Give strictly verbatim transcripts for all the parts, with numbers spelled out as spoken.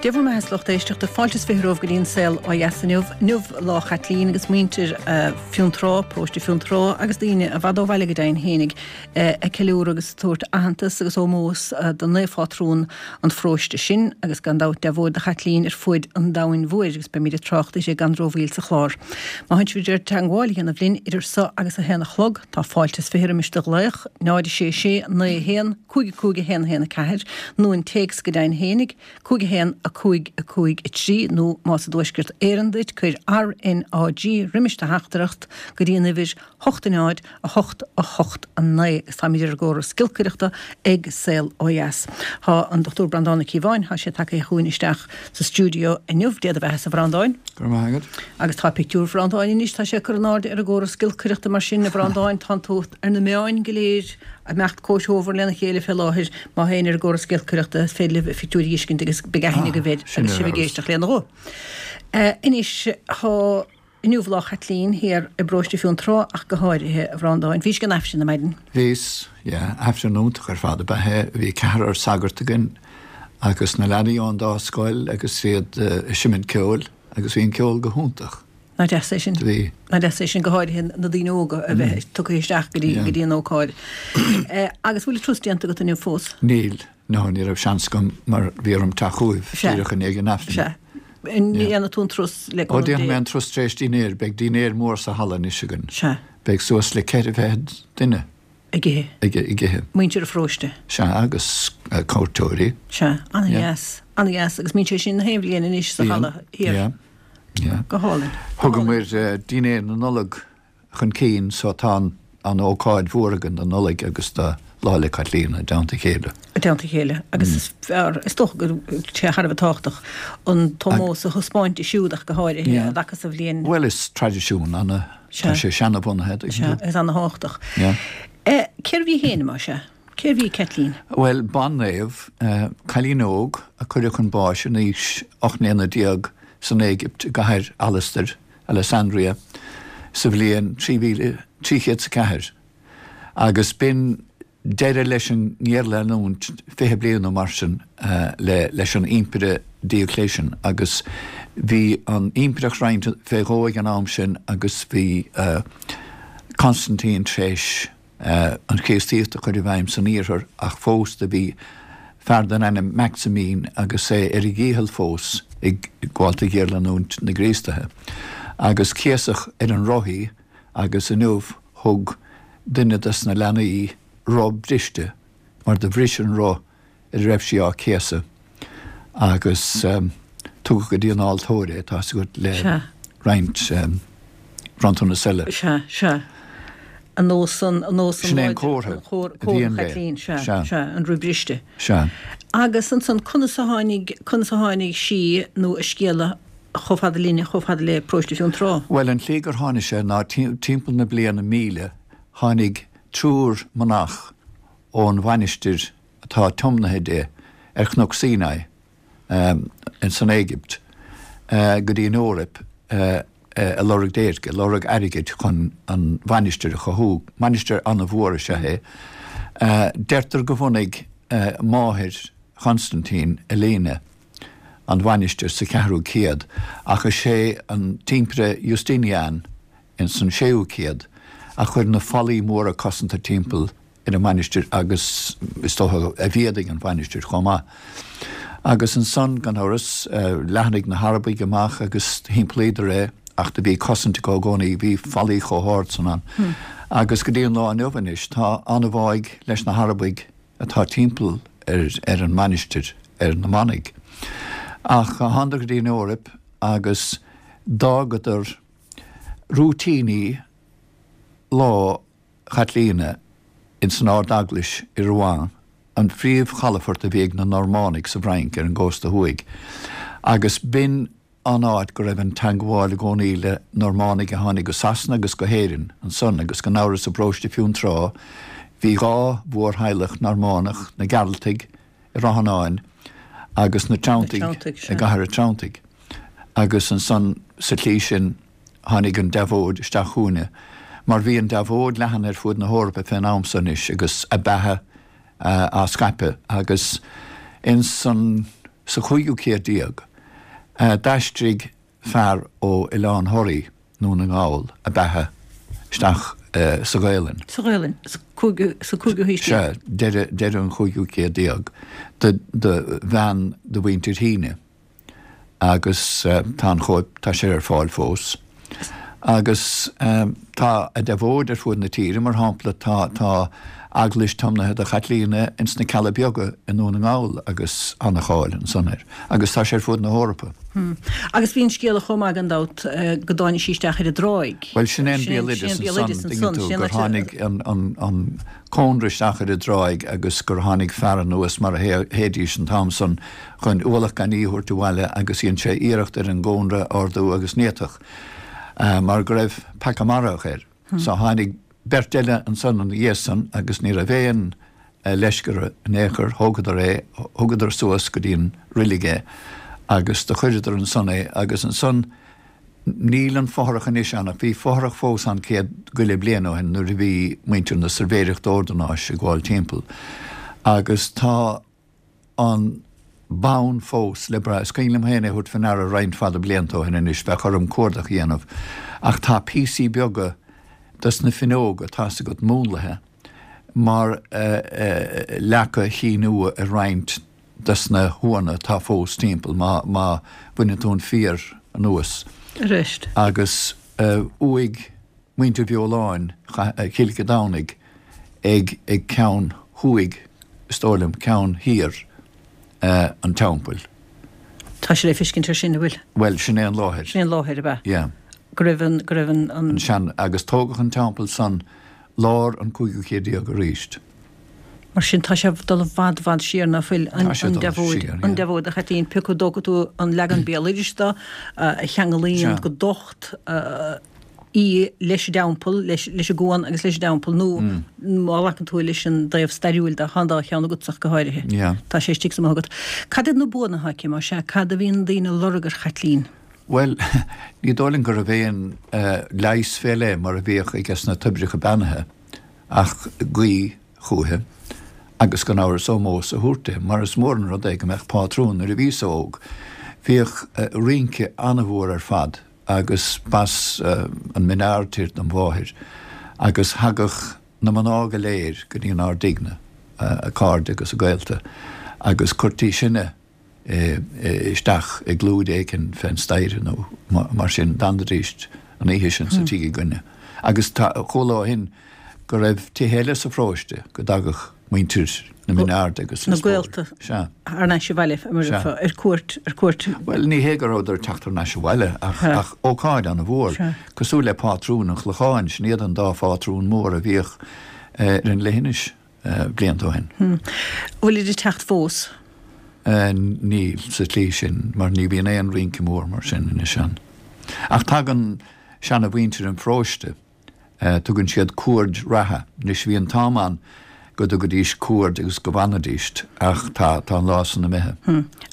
Dia bhur mbeatha, lucht éisteachta fáilte is fiche romhaibh go dtí an saol ó dheas inniu. Inniu lá Chaitlín agus muintir Fionntrá, paróiste Fionntrá agus daoine i bhfad ó bhaile go deimhin fhéinig ag ceiliúradh agus ag tabhairt aitheantas agus ómós do naomhphátrún an pharóiste sin agus gan dabht deabhóid do Chaitlín ar fuaid an domhain mhóir agus beimid ag trácht uirthi gan rómhoill sa chlár. Má théann sibh ar teagmháil a dhéanamh linn idir seo agus a haon a chlog, tá fáilte is fiche roimis do ghlaoch, náid a sé sé naoi a haon, cúig a cúig a haon a haon a ceathair, nó an téacs go deimhin fhéinig, cúig a haon a cúig a cúig a trí nó más i dTuaisceart Éireann duit, cuir RNÁG roimis do theachtaireacht go dtí an uimhir hocht a náid a hocht a hocht a naoi agus táimid ar an gcóras giolcaireachta ag Saol Ó Dheas. Tá an Dochtúir Breandán Ó Cíobháin, tá sé tagtha chugainn isteach sa stiúideo inniu, Dia do bheatha-sa a Bhreandáin. Go raibh maith agat. Agus tá pictiúr Bhreandáin anois, tá sé ag cur in airde ar an gcóras giolcaireachta mar sin, a Bhreandáin, tánn tú ar na meáin go léir. Ag imeacht comhthreomhar lena chéile fé láthair, má théann ar an gcóras giolcaireachta, is féidir libh a phictiúir a fheiscint agus beidh aithne agaibh air agus sibh ag éisteacht lena ghuth. Anois, tá inniu Lá Chaitlín thiar i bparóiste Fionntrá ach go háirithe, a Bhreandáin. Bhís ag an Aifreann ar maidin? Bhíos, yeah. Aifreann iontach ar fad ab ea é. Bhí ceathrar sagart againn agus na leanaí ón dá scoil agus iad ag seimint ceoil agus bhí an ceol go hiontach. Nach deas é sin? Bhí. Nach deas é sin, go háirithe na daoine óga a bheith tugtha isteach go dtí, go dtí an ócáid. Agus bhfuil an turas déanta agat inniu fós? Níl, no, ní raibh seans agam mar bhí orm teacht chugaibh Sea. díreach i ndiaidh an Aifrinn. Sea. An ndéanfaidh tú an turas le Ó, cúnamh déanfaidh Dé? mé an turas tar éis dinnéir, beidh dinnéar mór sa halla anois againn. Sea. Beidh suas le ceithre fichead duine. Ag ithe. Ag ithe. Muintir an pharóiste. Sea, agus cuairteoirí. Sea, an-dheas, an-dheas agus mbíonn sé sin na haon bhliain anois sa halla thiar. Yeah, yeah. Go hálainn. Thugamar dinnéar na Nollag chun cinn so tá an ócáid mhór againn don Nollaig agus do Lá 'le Caitlín i dteannta a chéile. I dteannta a chéile agus is fearr, is dócha go bhfuil sé thar a bheith tábhachtach an t-ómós a thaispeáint di siúd ach go háirithe i dtaca sa bhliain. Bhuel is traidisiún ana, tá sé seanabhunaithe. Sea, is ana-thábhachtach. Cérbh í féin, más ea? Cérbh í Caitlín? Bhuel, ban-naomh, cailín óg a cuireadh chun báis in aois ocht mbliana déag san Éigipt i gcathair Alastair, Alessandria, sa bhliain trí mhíle trí chéad 's a ceathair. Agus b'in deireadh leis an ngéarleanúint fiche bliain nó mar sin le leis an Impire Diocletian agus bhí an impireacht roinnte fé dhó ag an am sin agus bhí Constantine tar éis an Chríostaíocht a chur i bhfeidhm san iarthar ach fós do bhí fear den ainm Maximin agus é ar a dhícheall fós ag gabháilt do ghéarleanúint na gCríostaithe agus céasadh ar an roth í agus inniu thug duine des na leanaí roth briste mar do bhris an roth ar a raibh sí á céasadh agus tugadh go dtí an altóir é, tá 's agat, le roinnt bronntanas eile. Sea, sea. An nós an, an nós an Sin é an comhartha a bhíonn léi. Sea, sea, an roth briste. Sea. Agus ansan, conas a tháinig, conas a tháinig sí nó a scéal chomh fada linne, chomh fada le Paróiste Fionntrá? Bhuel, an tslí gur tháinig sé ná timpeall na bliana míle tháinig triúr manach ón mhainistir atá tiomnaithe di ar Chnoc Sinai san Éigipt go dtí an Eoraip ag lorg déirce, ag lorg airgid chun an mhainistir a chothú. Mainistir an-mhór is ea é. Deirtear go bhunaigh máthair Chonstantine, Elena, an mhainistir sa cheathrú céad, ach is é an tImpire Justinian ins an séú céad a chuir na fallaí móra cosanta timpeall ar an mhainistir agus is dócha a mhéadaigh an mhainistir chomh maith. Agus ansan, gan amhras, leathnaigh na hArabaigh amach agus thimpeallaíodar é ach do bhí cosaint acu i gcónaí, bhí fallaí chomh hard san ann. Agus go dtí an lá inniu anois tá an-bháidh leis na hArabaigh atá timpeall ar ar an mainistir, ar na manaigh. Ach thánadar go dtí an Eoraip agus d'fhágadar rúitíní Lá Chaitlíona ins an Ard-Eaglais i Rouen, an phríomh-chalafort a bhí ag na Normánaigh sa bhFrainc ar an gcósta thuaidh, agus b'in an áit go raibh an teangmháil i gcónaí le Normánaigh a tháinig go Sasana agus go hÉirinn ansan, agus gan amhras i bparóiste Fionntrá bhí dhá mhórtheaghlach Normánach, na Gearaltaigh i Ráth Fhionáin agus na Treanntaigh i gCathair an Treanntaigh, agus ansan sa tslí sin tháinig an deabhóid isteach chugainne, mar bhí an deabhóid leathan ar fuaid na hEorpa fén am so anois agus a beatha á scaipeadh, agus ins an sa chúigiú céad déag, d'aistrigh fear ó Oileán Thoraí, nDún na nGall, a beatha isteach sa Ghaelainn. Sa Ghaelainn, sa cúigiú sa cúigiú haois déag. Sea, deireadh deireadh an chúigiú céad déag, do do bhean de mhuintir Shíne. Agus tá an chóip, tá sé ar fáil fós. Agus tá a deabhóid ar fuaid na tíre, mar shampla tá tá eaglais tiomnaithe do Chaitlíona ins na Cealla Beaga i nDún na nGall agus ana-cháil ansan air. Agus tá sé ar fuaid na hEorpa. Agus bhí an scéala chomh maith gan dabht go dtáinig sí isteach ar an dtráigh. Bhuel sin é an béaloideas ansan, tuigeann tú, gur tháinig an an an cónra isteach ar an dtráigh agus gur tháinig fear anuas mar a théidís an t-am san chun ualach gainimh a thabhairt abhaile agus dhein sé iarracht ar an gcónra a ardú agus ní fhéadfadh mar go raibh peaca marfach air. So tháinig beirt eile ansan ina dhiaidh san agus ní raibh aon leisce orthu in aon chor, thógadar é, thugadar suas go dtí an roilig é agus do chuireadar ansan é agus ansan níl an fothrach anois ann ach bhí fothrach fós ann céad go leith bliain ó shin nuair a bhí muintir na Suirbhéireachta Ordanáis ag gabháil timpeall agus tá an bonn fós le brath. Is cuimhin liom féin é a thabhairt faoi ndeara roinnt fada blianta ó shin anois, bheadh orm cuardach a dhéanamh, ach tá píosaí beaga dos na finneoga, tá's agat, múnlaithe mar leaca Chinn Ua ar roinnt dos na huanna atá fós timpeall, má má bhaineann tú an fíor anuas. Arís. Agus uaigh muintir Bheoláin, Chill Cheadúnaigh ag ag ceann thuaidh, is dóigh liom, ceann thiar an teampaill. Tá sé le feiscint ar sin, an bhfuil? Bhuel, sin é an láthair. Sin é an láthair, ab ea? Yeah. Go raibh an, go raibh an, an. An sean, agus tógadh an teampall san lár an cúigiú céad déag arís. Mar sin, tá sé ag dul i bhfad, bhfad siar ná fuil an, Tá sé an ag dul deabhóid, siar, yeah. an deabhóid a Chaitlín, pé acu a dtógfaidh tú an leagan béaloidis de, a cheanglaíonn Sea. go docht í leis an dteampall, leis, leis an gcuan agus leis an dteampall, nó má ghlacann tú leis an dtaobh stairiúil de, tá an dá cheann agatsa ach go háirithe. Yeah. Tá sé istigh sa mhothú agat. Cad iad na buanna atá aici, más ea? Cad a bhíonn daoine a lorg ar Chaitlín? Bhuel, ní dóigh liom go raibh aon leigheas fé leith mar a bhíodh aige sna toibreacha beannaithe ach guí chúiche agus gan amhras ómós a thabhairt di, mar is mór an rud é go mbeadh pátrún nuair a bhíos óg. Bhíodh rince an-mhór ar fad agus b'as an Min Aird dom mháthair agus thagadh na mná go léir go dtí ár dtighne, a cairde agus a gaolta, agus cuirtí sinne isteach i gclúid éicin fén staighre nó mar sin, d'fhanaidís an oíche sin sa tigh againne. Agus tá, chuala ó shin go raibh tithe eile sa pharóiste go dtagadh muintir na Mine Airde agus Na Lios Póil. gaolta Sea. thar n-ais abhaile, mar Sea. ar cuairt, ar cuairt. Bhuel, ní hé go rabhadar ag teacht thar n-ais abhaile ach, Sea. ach ócáid an-mhór, Sea. cosúil le pátrún an Chlocháin, sin iad an dá phátrún mór a bhíodh ar an leithinis blianta ó shin. An bhfuilid ag teacht fós? Níl, sa tslí sin, mar ní bhíonn aon rince mór mar sin anois ann. Ach tagann seana-mhuintir an pharóiste, tugann siad cuaird reatha. Anois bhí an t-am ann go dtugaidís cuaird agus go bhfanaidís, ach tá, tá an lá san imithe.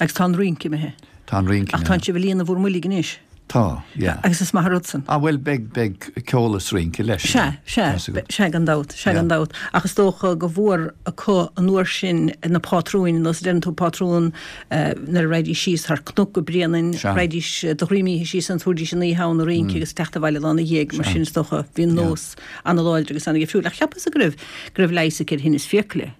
Agus tá an rince imithe. Tá an rince Ach imithe. tánn sibh ag líonadh bhur mboilg anois. Tá, yeah. Agus is maith an rud san. Ah bhuel, beidh, beidh ceol is rince leis. Sea, sea, sea gan dabht, sea gan dabht. Ach is dócha go mhór acu an uair sin na pátrúin, nós a deireann tú pátrún nuair a raghaidís síos thar cnoc go Bréanainn, raghaidís de dhroim oíche síos ann, tabharfaidís an oíche ann ag rince agus teacht abhaile lá ina dhiaidh, mar sin is dócha bhí an nós ana-láidir agus ana-dhifriúil. Ach cheapas-sa go raibh, go raibh leigheas aici ar thinneas fiacaile.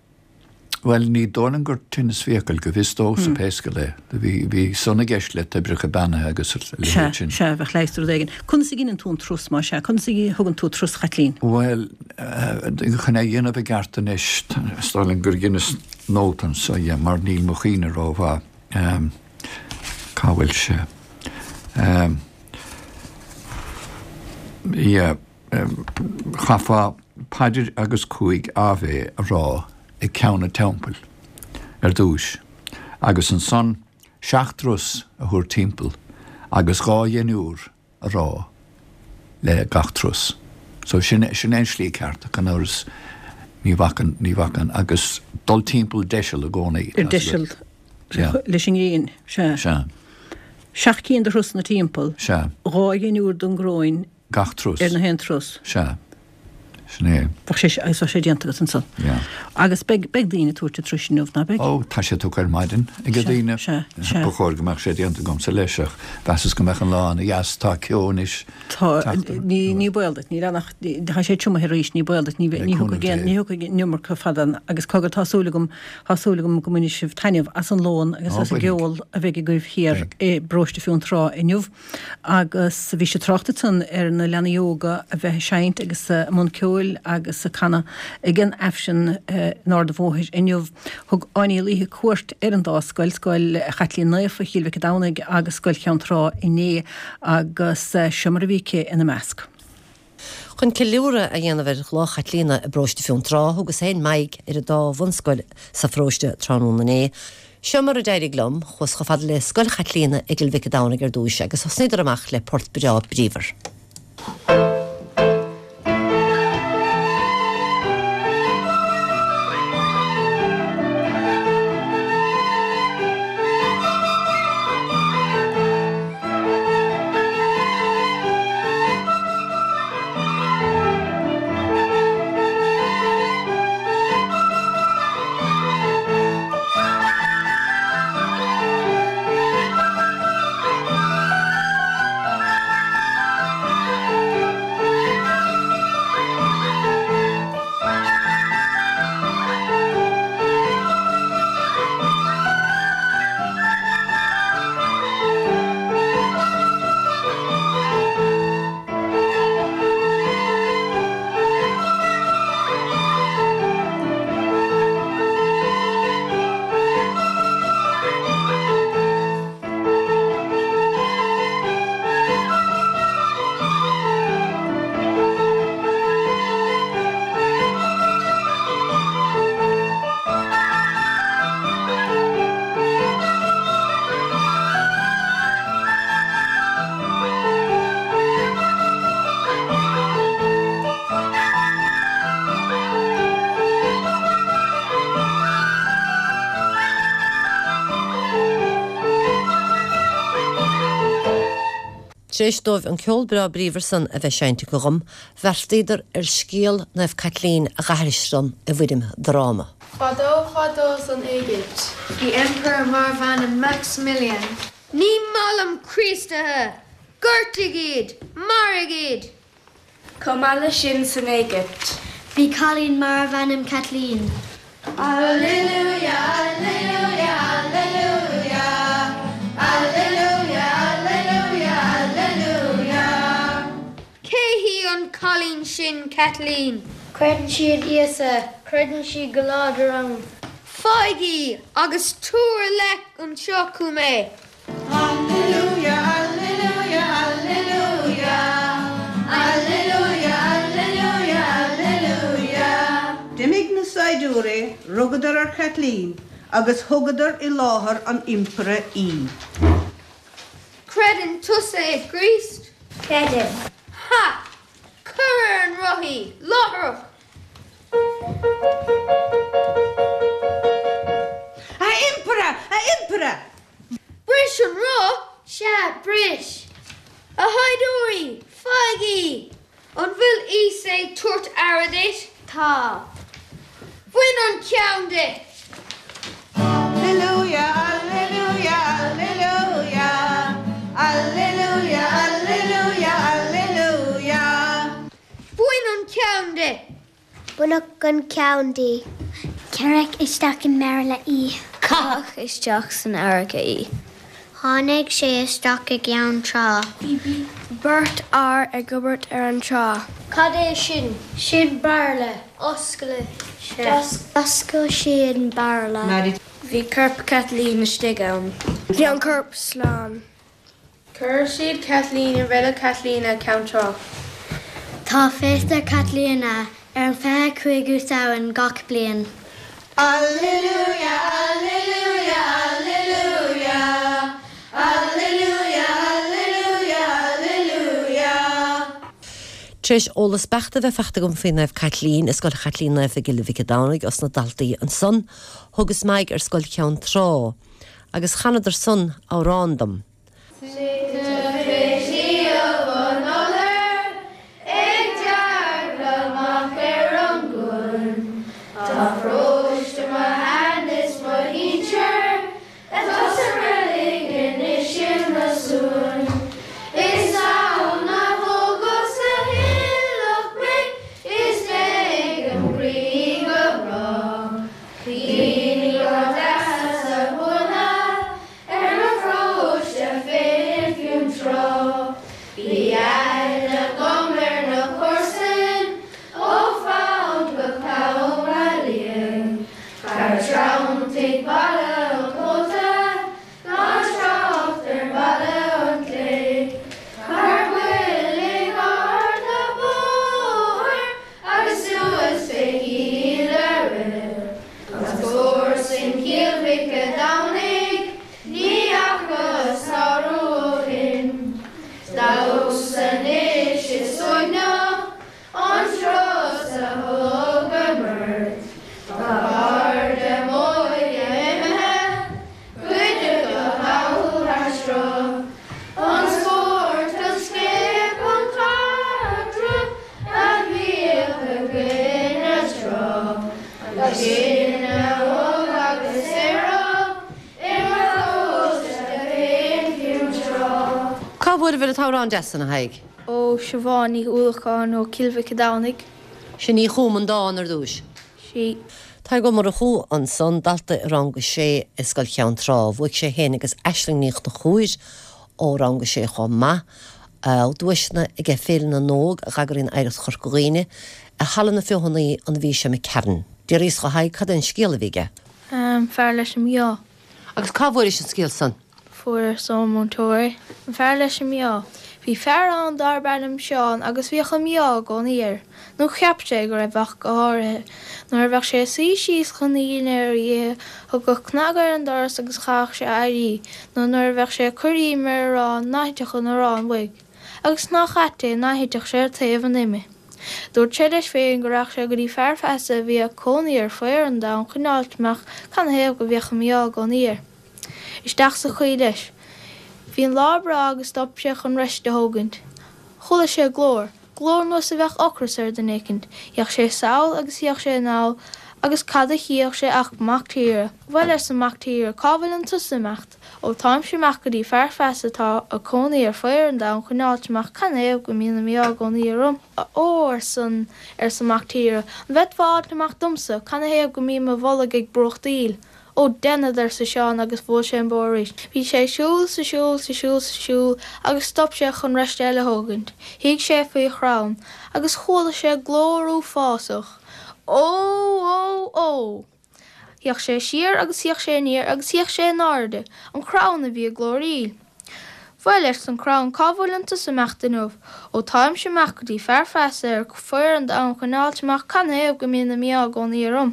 Bhuel, ní dóigh liom gur tinneas fiacal, go bhfios domhsa pé scéal é. Bhí, bhí san i gceist le toibreacha beannaithe agus a Sea, leithéid sin. sea, bheadh leigheas do rud éigin. Conas a dheineann tú an turas, más ea? Conas a thugann tú turas Chaitlín? Bhuel, chun é a dhéanamh i gceart anois, is dóigh liom gur dheineas nóta anso dhe, mar níl mo chuimhne rómhaith. Cá bhfuil sé? Yeah. Chaithfeá paidir agus cúig Ave a rá ag ceann an teampaill ar dtúis, agus ansan seacht dturas a thabhairt timpeall agus dhá dheiniúr a rá le gach turas. So sin, sin é an slí ceart, ach gan amhras ní bhacann, ní bhacann, agus dul timpeall deiseal i gcónaí. Ar deiseal leis an ngrian, sea. Sea. Seacht gcinn de thurasanna timpeall. Sea. Dhá dheiniúr don gcoróin. Gach turas. Ar na haon turas. Sea. Sin é. Bheadh sé agus bheadh sé déanta agat ansan. Yeah. Agus beidh beidh daoine ag tabhairt an turais inniu, ná beidh? Ó, tá sé tugtha ar maidin ag Sea, daoine. sea, sea. Ba chóir go mbeadh sé déanta agamsa leis ach mheasas go mbeadh an lá ana dheas, tá ceo anois. Tá, Teacht ní ní baol duit, níl ann ach tá sé triomaithe arís, ní baol duit, ní Le ní cúnamh thiocfaidh aon Dé. ní thiocfaidh an iomarca fada ann agus cogar tá súil agam tá súil agam go mbainfidh sibh taitneamh as an lón agus Ó, as an bainfidh. gceol a bheidh agaibh thiar Beidh. i bparóiste Fionntrá inniu. Agus bhí sé trácht ansan ar na leanaí óga a bheith ag seinnt agus i mbun ceoil agus ag canadh ag an Aifreann in Ard an Bhóthair inniu. Thug Áine Ní Laoithe cuairt ar an dá scoil, Scoil Chaitlín Naofa Chill Mhic an Domhnaigh agus Scoil Cheann Trá inné agus seo mar a bhí aici ina measc. Chun ceiliúradh a dhéanamh ar Lá Chaitlíona i bparóiste Fionntrá, thugas féin m'aghaidh ar an dá bhunscoil sa pharóiste tráthnóna inné. Seo mar a d'éirigh liom, chuas chomh fada le Scoil Chaitlíona i gCill Mhic an Domhnaigh ar dtús agus thosnaíodar amach le port breá bríomhar. Tar éis dóibh an ceol breá bríomhar san a bheith seinnte acu dhom, bheartaíodar ar scéal Naomh Caitlín a dh'aithris dom i bhfoirm dráma. Fadó fadó san Éigipt. Bhí impire darbh ainm Maximilian. Ní maith liom Críostaithe! Gortaigh iad! Maraigh iad! Chomh maith leis sin san Éigipt. Bhí cailín darbh ainm Caitlín. Alleluia, alleluia, alleluia, alleluia, alleluia, alleluia. Cé hí an cailín sin Caitlín? Creideann sí in Íosa, creideann sí go láidir ann. Faigh í agus tabhair i leith anseo chugam é. Alleluia, alleluia, alleluia, alleluia, alleluia, alleluia. D'imigh na saighdiúirí, rugadar ar Chaitlín agus thugadar i láthair an impire í. Creideann tusa i gCríost? Creidim. Ha! Cuir ar an roth í, láithreach! A Impire! A Impire! Bris an roth! Sea, bris. A shaighdiúirí, faigh í! An bhfuil Íosa ag tabhairt aire duit? Tá. Bain an ceann di! Alleluia, alleluia, alleluia, alleluia, alleluia, alleluia. Bain an ceann di! Baineadh an ceann di. Cuireadh isteach i mbairille í. Caitheadh isteach san fharraige í. Tháinig sé isteach i gCeann Trá. Bhí beirt fhear ag obair ar an trá. Cad é sin? Sin bairille. Oscail sé. D'oscail sí an bairille. Bhí corp Caitlín istigh ann. Bhí an corp slán. Chuir siad Caitlín i reilig Chaitlíona Ceann Trá. Tá féasta Caitríona ar an fiche cúigiú Samhain gach bliain. Alleluia, alleluia, alleluia, alleluia, alleluia, alleluia. Tar éis eolas beacht a bheith faighte agam faoi Naomh Caitlín i Scoil Chaitlín Naofa i gCill Mhic an Domhnaigh os na daltaí ansan, thugas m'aghaidh ar Scoil Cheann Trá, agus chanadar san amhrán dom. Ag dearglamach Tá sinne óg agus saor i mo pharóiste féin Fionntrá. Cá bhfuair an t-amhrán deas san, a Thaidhg? Ó Siobhán Ní Uallacháin ó Cill Mhic Domhnaigh. Sin í chum an dán ar dtús. Sí. Tadhg Ó Murchú ansan dalta i rang a sé i Scoil Cheann Trá, bhuaigh sé féin agus Aisling Ní Chonchúir ó rang a sé chomh maith duaiseanna ag Féile na nÓg a d'eagraíonn Oidhreacht Chorca Dhuibhne i Halla na Feothanaí an mhí seo McCarran. D'fhiafraíos de Thadhg cad é an scéal a bhí aige. Um, fear leis an mí-ádh. Agus cá bhfuairis an scéal san? Fuaireas ón múinteoir. An fear leis an mí-ádh. Bhí fear ann darb ainm Seán agus bhíodh an mí-ádh i gcónaí air, nó cheap sé go raibh ach go háirithe. Nuair a bheadh sé ag suí síos chun a dhinnéir a ithe, thagadh cnag ar an doras agus chaithfeadh sé éirí, nó nuair a bheadh sé ag cur im ar arán ná thitfeadh an arán uaidh. Agus nach ait é ná thitfeadh sé ar taobh an ime. Dúirt sé leis féin go rachadh sé go dtí fear feasa a bhí ag cónaí ar faobhar an domhain chun fháilt amach canathaobh go mbíodh an mí-ádh i gcónaí air. Isteach sa choill leis. Bhí an lá breá agus stop sé chun roiste a thógaint. Chuala sé glór, glór nós a bheadh ocras ar dhuine éicint. D'fhéach sé sall agus d'fhéach sé anall agus cad a chífeadh sé ach mac tíre. Bhuel, arsa an mac tíre, cá bhfuileann tusa ag imeacht? Ó táimse ag imeacht go dtí fear feasa atá ag cónaí ar faobhar an domhain chun fháilt amach canathaobh go mbíonn an mí-ádh i gcónaí orm. Ó, arsa arsa an mac tíre, an bhféadfá a fháilt amach domsa canathaobh go mbím i mo bholg ag brúchtaíl? Ó déanfad, arsa Seán agus bhuail sé an bóthar arís. Bhí sé ag siúl 's ag siúl 's ag siúl 's ag siúl agus stop sé chun roiste eile a thógaint. Shuigh sé faoi chrann agus chuala sé glór uafásach. Ó! Ó! Ó! D'fhéach sé siar agus d'fhéach sé aniar agus d'fhéach sé in airde, an crann a bhí ag glóraíl. Bhuel, arsa an crann, cá bhfuileann tusa ag imeacht inniu? Ó táimse ag imeacht go dtí fear feasa ar faobhar an domhain chun fháilt amach canathaobh go mbíonn an mí-ádh i gcónaí orm.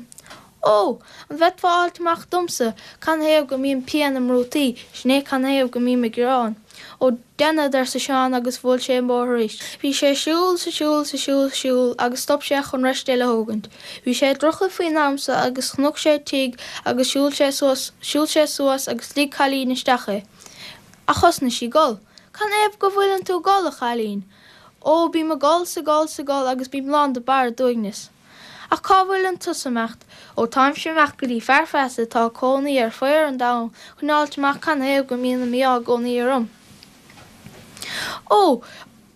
Ó, an bhféadfá a fháilt amach domsa canathaobh go mbíonn pian im rútaí, sin é canathaobh go mbím ag gearán. Ó déanfad, arsa Seán agus bhuail sé an bóthar arís. Bhí sé ag siúl 's ag siúl 's ag siúl 's ag siúl agus stop sé chun roiste eile a thógaint. Bhí sé ag dorchadh faoin am so agus chonaic sé tigh agus shiúil sé suas shiúil sé suas agus lig cailín isteach é. Ach thosnaigh sí ag gol. Canathaobh go bhfuileann tú ag gol, a chailín? Ó, bím ag gol 's ag gol 's ag gol agus bím lán de barra d'uaigneas. Ach cá bhfuileann tusa ag imeacht? Ó táimse ag imeacht go dtí fear feasa atá ag cónaí ar faobhar an domhain chun fháilt amach canathaobh go mbíonn an mí-ádh i gcónaí orm. Ó,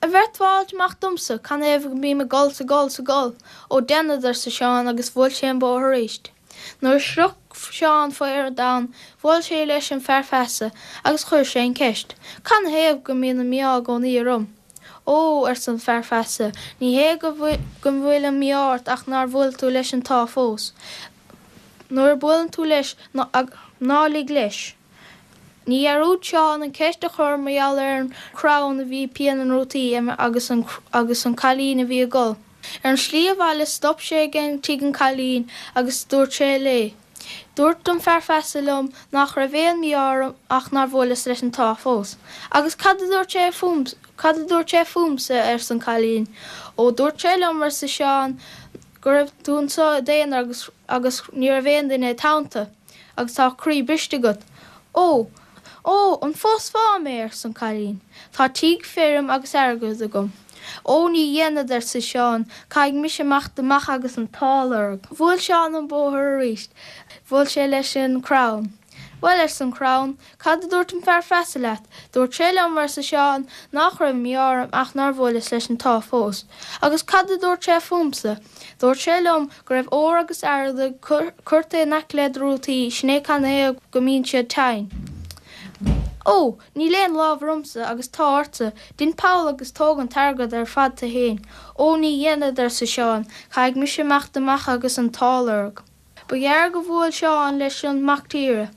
an bhféadfá a fháilt amach domsa canathaobh go mbím ag gol 's ag gol 's ag gol? Ó déanfad, arsa Seán agus bhuail sé an bóthar arís. Nuair a shroich Seán faobhar an domhain, bhuail sé leis an fear feasa agus chuir sé an ceist, Canathaobh go mbíonn an mí-ádh i gcónaí orm? Ó, arsa an fear feasa, ní hé go go bhfuil an mí-ádh ort ach nár bhuail tú leis an t-ádh fós. Nuair a buaileann tú leis ná lig leis. Ní dhearúd Seán an ceist a chur mar gheall ar an crann a bhí pian na rútaí agus an agus an cailín a bhí ag gol. Ar an slí abhaile stop sé ag tigh an cailín agus dúirt sé léi. Dúirt an fear feasa liom nach raibh aon mí-ádh orm ach nár bhuaileas leis an t-ádh fós. Agus cad a dúirt sé fúm cad a dúirt sé fúmsa arsa an cailín. Ó dúirt sé liom arsa Seán go raibh tú anseo i d'aonar agus agus ní raibh aon duine id theannta, agus tá croí briste agat. Ó! Ó, an phósfá mé arsa an cailín. Tá tigh, feirm agus airgead agam. Ó ní dhéanfad arsa Seán, caithfidh mise imeacht amach agus an t-ádh a lorg. Bhuail Seán an bóthar arís, bhuail sé leis an crann. Bhuel arsa an crann, cad a dúirt an fear feasa leat? Dúirt sé liom arsa Seán nach raibh mí-ádh orm ach nár bhuaileas leis an t-ádh fós. Agus cad a dúirt sé fúmsa? Dúirt sé liom go raibh ór agus airgead curtha in aice le do rútaí, sin é canathaobh go mbíonn siad tinn. Ó, níl aon lámh ormsa agus tá ortsa, Dein poll agus tóg an t-airgead ar fad duit féin. Ó ní dhéanfad arsa Seán, caithfidh mise imeacht amach agus an t-ádh a lorg. Ba ghearr go bhuail Seán leis an mac tíre.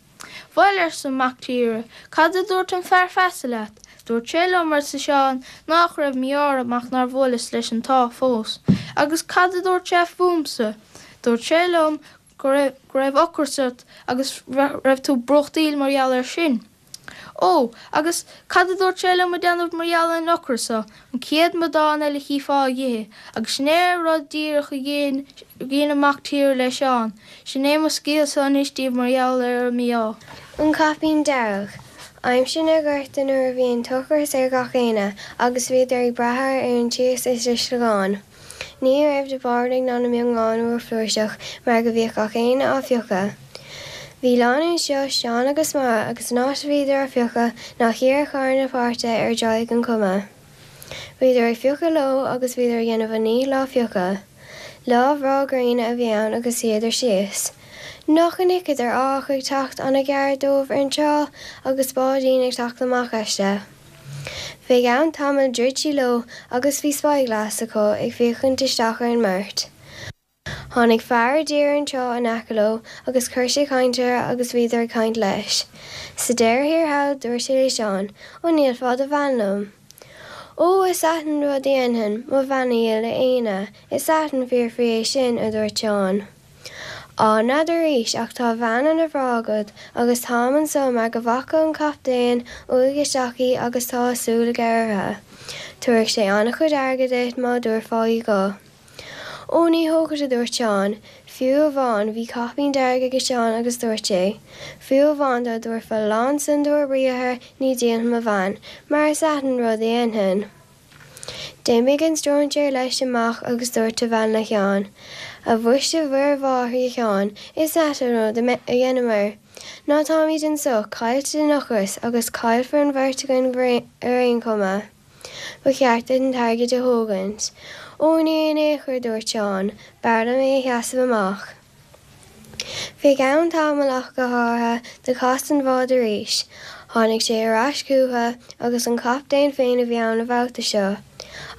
Bhuel arsa an mac tíre, cad a dúirt an fear feasa leat? Dúirt sé liom arsa Seán nach raibh mí-ádh orm ach nár bhuaileas leis an t-ádh fós. Agus cad a dúirt sé fúmsa? Dúirt sé liom go raibh go raibh ocras ort agus raibh tú brúchtaíl mar gheall air sin. Ó, agus cad a dúirt sé liom a déanamh mar gheall ar an ocras so, an chéad amadán eile a chífeá a dh'ithe, agus sin é rud díreach a dhein dhein an mac tíre le Seán. Sin é mo scéalsa anois daoibh mar gheall ar an mí-ádh. An Caipín Dearg. Aimsir na gorta nuair a bhí an t-ocras ar gach éinne agus bhíodar ag brath ar an tíos is i sliogán. Ní raibh na báirdaigh ná na miongáin rófhlúirseach mar go bhíodh gach éinne á phiocadh. Bhí lánúin seo Seán agus Máire agus an áit a bhíodar á phiocadh ná thiar ar charn na páirce ar dtráigh an chuma. Bhíodar ag piocadh leo agus bhíodar ag déanamh a ndíchill á phiocadh. Lá bhreá gréine a bhí ann agus shuíodar síos. Nach bhfeiceadar árthach ag teacht an-ghar dóibh ar an trá agus báidín ag teacht amach aisti. Fé gceann tamaill dhruid sí leo agus bhí spyglass acu ag féachaint isteach ar an mbeirt. Tháinig fear i dtír ar an trá in aice leo agus chuir sé caint orthu agus bhíodar ag caint leis. Sa deireadh thiar thall dúirt sé le Seán, An ndíolfá do bhean liom? Ó, is ait an rud a dhéanfainn, mo bhean a dhíol le éinne, is ait an fiafraí é sin, a dúirt Seán. Á, n'fheadar arís ach tá bean ana bhreá agat agus táim anso mar go bhfaca an captaen uaidh isteach í agus tá a súil aige uirthi. Tabharfaidh sé an-chuid airgid duit má dtabharfá í dho. Ó, ní thógfad, a dúirt Seán. Fiú amháin, bhí caipín dearg aige Seán agus dúirt sé, Fiú amháin dá dtabharfá lán san d'ór briathar ní dhíolfainn mo bhean, mar is ait an rud a dhéanfainn. D'imigh an stróinséir leis amach agus dúirt a bhean le Sheán, A mhuise Mhuire Mháthair a Sheáin, is ait an rud a dheineamair, ná táimid anso caillte den ocras agus caillfear an bheirt againn ar aon chuma. Ba cheart duit an t-airgead a thógaint. Ó ní in aon chor, a dúirt Seán, b'fhearr liom é a sheasamh amach. Fé gceann tamaill ach go háirithe do chas an bhád arís. Tháinig sé ar ais chúthu agus an captaen féin a bhí ann an babhta seo.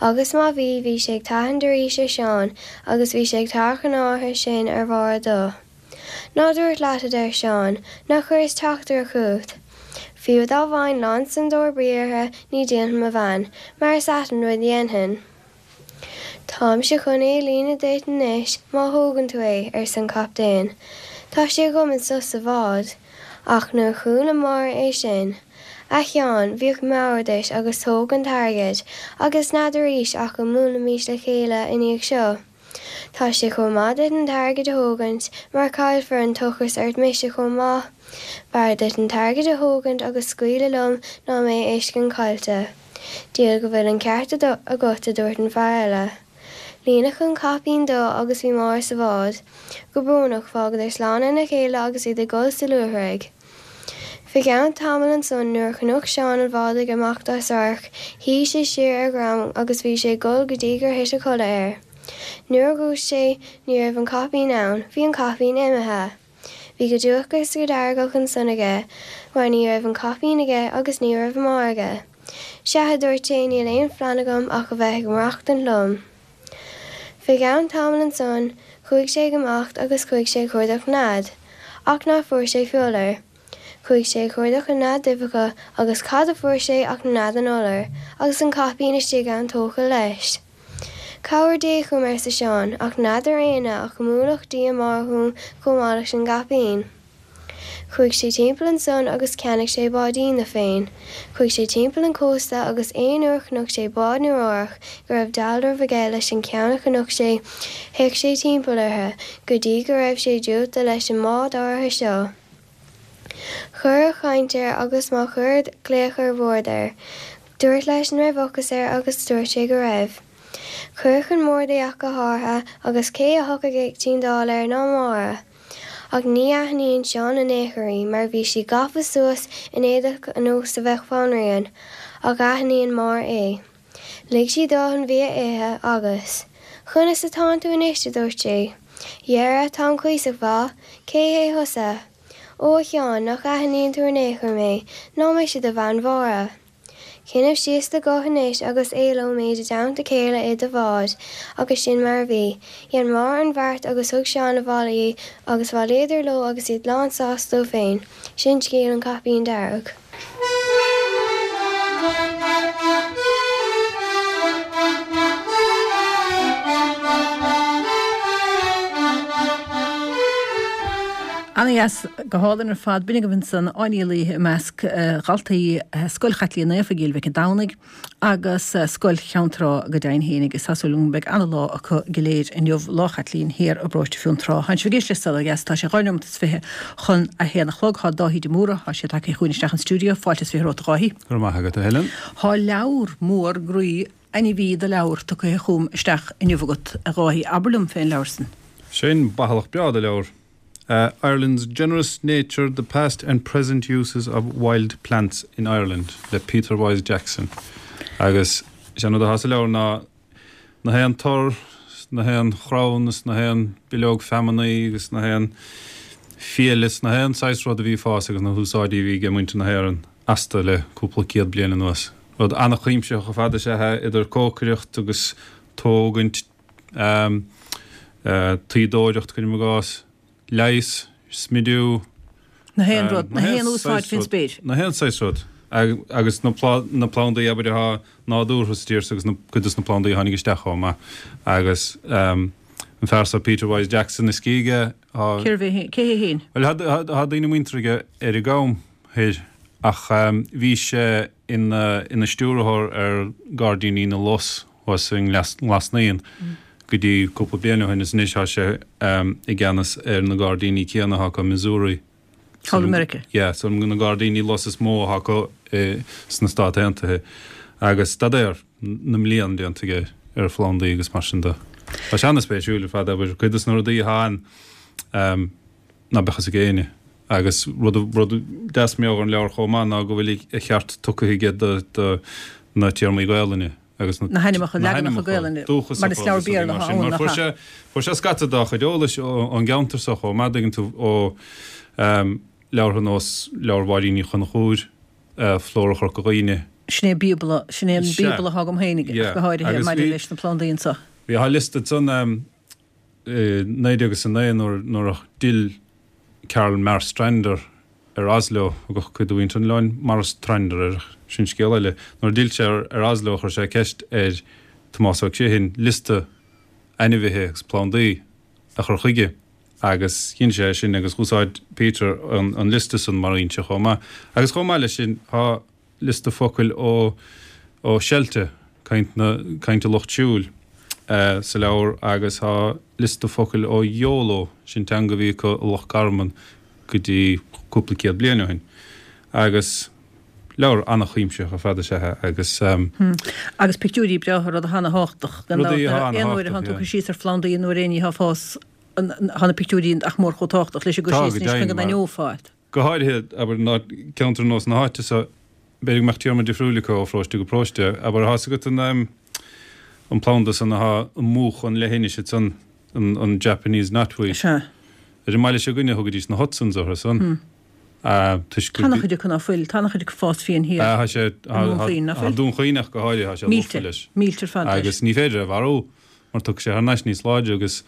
Agus má bhí, bhí sé ag tathant arís ar Sheán agus bhí sé ag tarrac an áirithe sin ar Mháire dó. Ná dúrt leat, a deir Seán, nár chuireas teachtaireacht chugat. Fiú dá bhfaighinn lán san d'ór briathartha ní dhíolfainn mo bhean, mar is ait an rud a dhéanfainn. Táimse chun é a líonadh duit anois má thógann tú é, arsa an captaen. Tá sé agam anso sa bhád. Ach nuair a chuala Máire é sin. A Sheáin, bíodh meabhair duit agus tóg an t-airgead, agus n'fheadar arís ach go mbuailfimis le chéile i ndiaidh seo. Tá sé chomh maith duit an t-airgead a thógaint, mar caillfear an t-ocras ort mise chomh maith. B'fhearr duit an t-airgead a thógaint agus scaoileadh liom ná mé a fheiscint caillte. Diabhal go bhfuil an ceart agat, a dúirt an fear eile. Líonadh an caipín dó agus bhí Máire sa bhád. Go brónach, fágadar slán lena chéile agus iad ag gol sa luaithrigh. Fé cheann tamaill ansan nuair a chonac Seán an bhád ag imeacht as radharc, shuigh sé siar ar dhroim agus bhí sé ag gol go dtí gur thit a chodladh air. Nuair a dhúisigh sé ní raibh an caipín ann, bhí an caipín imithe. Bhí go dubhach agus go deargach ansan aige mar ní raibh an caipín aige agus ní raibh Máire aige. Sea, a dúirt sé, níl aon phlean agam ach a bheith ag maireachtaint liom. Fé gceann tamaill ansan chuaigh sé ag imeacht agus chuaigh sé ag cuardach nead. Ach ná fuair sé fiolar. Chuaigh sé ag cuardach na nead uibheacha agus cad a fuair sé ach nead an iolair, agus an caipín istigh ann tógtha leis. Cabhair Dé chugam, arsa Seán, ach n'fheadar éinne ach go mbuailfeadh Dia Máire chugam chomh maith leis an gcaipín. Chuaigh sé timpeall ansan agus cheannaigh sé báidín do féin. Chuaigh sé timpeall an chósta agus aon uair a chonaic sé bád nó árthach go raibh dealramh aige leis an ceann a chonaic sé théadh sé timpeall orthu go dtí go raibh sé díolta leis an mbád áirithe seo. Chuir a chaint air agus má chuir glaoch ar bord air. Dúirt leis an raibh ocras air agus dúirt sé go raibh. Cuireadh chun boird é ach go háirithe agus cé a thiocfadh ag tindeáil air ná Máire. Ach ní aithníonn Seán in aon chor í mar bhí sí gafa suas in éadach ar nós a bheadh banríon, ach aithníonn Máire é. Lig sí dó an bia a ithe agus. Conas atánn tú anois, a dúirt sí. Dhera, táim cuíosach mhaith. Cé hé thusa? Ó, a Sheáin, nach aithníonn tú in aon chor mé, ná mise do bhean Mháire. Cuimhnigh síos do ghuth anois agus éalóimid i dteannta chéile i do bhád, agus sin mar a bhí. Dhein Máire an bheart agus thug Seán abhaile í agus bhailíodar leo agus iad lán sásta dóibh féin. Sin scéal an Chaipín Dearg. Ana-dheas, go hálainn ar fad. B'in agaibh ansan Áine Uí Laoithe i measc dhaltaí Scoil Chaitlín Naofa i gCill Mhic an Domhnaigh agus Scoil Cheann Trá go deimhin fhéinig. Is tá súil agam go mbeidh ana-lá acu go léir inniu, Lá Chaitlín thiar i bparóiste Fionntrá. Tánn sibh ag éisteacht le Saol Ó Dheas, tá sé dhá neomat is fiche chun a haon a chlog. Tá Dáithí de Mórdha, tá sé tagtha chugainn isteach an stiúideo. Fáilte is fiche romhat a Dháithí. Go raibh maith agat, a Helen. Tá leabhar mór groí Ainmhí de leabhar tugtha chugam isteach inniu agat, a Dháithí. Abair liom fén leabhar san. Sin bathalach breá de leabhar. Ireland's Generous Nature, The Past and Present Uses of Wild Plants in Ireland le Peter Wyse Jackson. Agus is é an rud atá sa leabhar ná na haon tor, na haon chrann is na haon bileog feamainní agus na haon fiail is na haon saghas rud a bhí ag fás agus na húsáidí a bhí ag muintir na hÉireann astu le cúpla céad bliain anuas. Rud an-chuimsitheach ar fad is ea é, idir cócaireacht agus tógaint, tuíodóireacht, cuirim i gcás, leigheas, smidiú. Na haon rud, na haon úsáid faoin spéir. Na haon saghas rud. Agus na plandaí, abair, atá nádúrtha sa tír so agus cuid de na plandaí a tháinig isteach chomh maith. Agus an fear so Peter Wyse Jackson is aige, tá. Cérbh é, cé hé féin? Bhuel, tá daoine muinteartha aige ar an gCam Thoir ach bhí sé ina ina stiúrthóir ar Ghairdíní na Lus thuas i nGlas Naíon go dtí cúpla bliain ó shin is anois tá sé i gceannas ar na gairdíní céanna atá acu i Missouri. Thall i Meiriceá. Yeah, so na gairdíní lus is mó atá acu sna Stáit Aontaithe agus staidéar na mblian déanta aige ar phlandaí agus mar sin de. Tá sé an-spéisiúil ar fad, abair, cuid de na rudaí atá ann ná beadh fhios ag éinne. Agus rud rud deas mar gheall ar an leabhar chomh maith ná go bhfuil a cheart tugtha aige do na téarmaí Gaelainne agus na hainmneacha, leaganacha Gaelainne, mar is leabhar Béarla atá ann, nach ea? Fuair sé scata dá chuid eolais ón gceantar so chomh maith, dtuigeann tú, ó leabhartha nós Leabhar Mháirín Ní Chonchúir, Flóra Chorca Dhuibhne. Sin é bíobla, sin é an bíobla atá agam féin ach go háirithe maidir leis na plandaí anso. Bhí a liosta ansan i naoi déag is a naoi nuair a d'fhill Carl Marstrander ar Oslo, thugadh cuid de mhuintir an oileáin Marstrander air, ach sin scéal eile. Nuair a d'fhill sé ar Oslo chuir sé ceist ar Tomás Ó Criomhthain liosta ainmhithe agus plandaí a chur chuige agus dhein sé é sin agus dh'úsáid Peter an liosta san mar fhoinse chomh maith. Agus chomh maith leis sin tá liosta focail ó ó Shelta, caint na caint an lucht siúil, sa leabhar agus tá liosta focail ó Yolo, sin teanga a bhí acu i Loch Garman go dtí cúpla céad bliain ó shin. Agus leabhar an-chuimsitheach ar fad is ea é agus. Agus pictiúirí breátha, rud atá ana-thábhachtach. Gan dabht, aon uair a thánn tú ag cur síos ar phlandaí nó ar aon ní atá ag fás, tá na pictiúirí nach mór chomh tábhachtach leis an gcur síos anois chun go n-aithneofá iad. Go háirithe, abair, ná ceantar nós na háite so, b'fhéidir go mbeadh téarma difriúil acu ó pharóiste go paróiste. Abair, tá's agat an an planda san athá ag múchadh an leithinis ansan, an an Japanese knotweed. Sea. Ar an mbaile seo againne thugaidís na Hudsons orthu san. Toisc Tá ana-chuid acu ná fuil, tá ana-chuid acu ag fás fiáin thiar. Tá sé, I nDún Chaoin, ná fuil? Tá Dún Chaoin ach go háirithe, tá sé lofa leis. Millte ar fad leis. Agus ní féidir é a mharú mar tiocfaidh sé thar n-ais níos láidre agus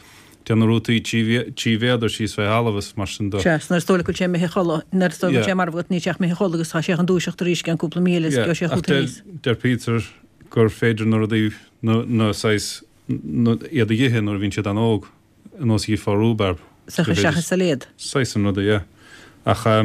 téann na rútaí trí mhéadar síos fé thalamh is mar sin de. Sea, 's nuair is dóigh leat go bhfuil sé imithe a chodladh, nuair is dóigh go bhfuil sé marbh agat níl sé ach imithe a chodladh agus tá sé chun dúiseacht arís i gceann cúpla mí eile is gheobhaidh sé Ach chugat aníos. deir Peter gur féidir na rudaí, na saghas, iad a dh'ithe nuair a bhíonn siad an-óg, ar nós a dh'ithfeá rúbarb. Is a chur isteach i sailéad. Saghas an ruda, yeah. Ach tá.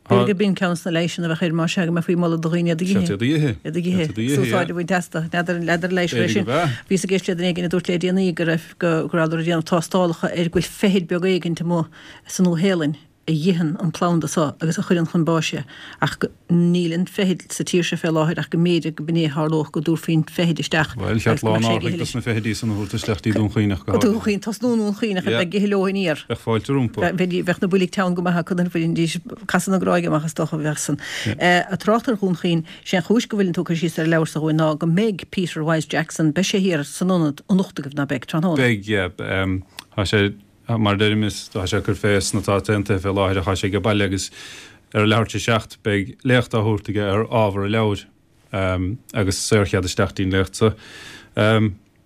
B'fhéidir gurb in ceann de na leigheasanna a bheadh air, más ea go mbeifí ag moladh do dhaoine iad a dh'ithe. Iad a dh'ithe. Iad a dh'ithe. Iad a dh'ithe, Is úsáid a bhaint astu. N'fheadar, n'fheadar an leigheas é B'fhéidir sin. go b'ea. Bhíos ag éisteacht le duine éigin a dúirt le déanaí go raibh, go rabhadar ag déanamh tástálacha ar go bhfuil feithid beag éigint amuigh sa Nua-Shéalainn a dh'itheann an planda so agus a chuireann chun báis é, ach go, níl an feithid sa tír seo fé láthair ach go mb'fhéidir go b'in é a tharlódh, go dtabharfaí an feithid isteach Bhuel, agus cheart go mbeadh sé ag lán ithe árthaigh leis. dos na feithidí san a thabhairt isteach dtí Dún Chaoin ach go Go Dún háirithe. Chaoin, tosnú i nDún Chaoin ach Yeah. bheith ag ithe leo aniar. Bheadh fáilte rompu. Bheadh, bheadh na boilg teann go maith acu nuair a bhainfidís casadh na gráige amach is dócha a bheadh san. Yeah. Ag trácht ar Dhún Chaoin, sé an chúis go bhfuileann tú ag cur síos ar an leabhar so dhúinn ná go mbeidh Peter Wyse Jackson, beidh sé thiar san ionad anocht agaibh, ná beidh, tráthnóna? Beidh, yeah. Tá sé, Mar a deirim, is tá sé ag cur fé sna Stáit Aontaithe fé láthair ach tá sé age baile agus ar a leathuair tar éis a seacht beidh léacht á thabhairt aige ar ábhar a leabhair agus saorchead isteach dtí'n léacht so.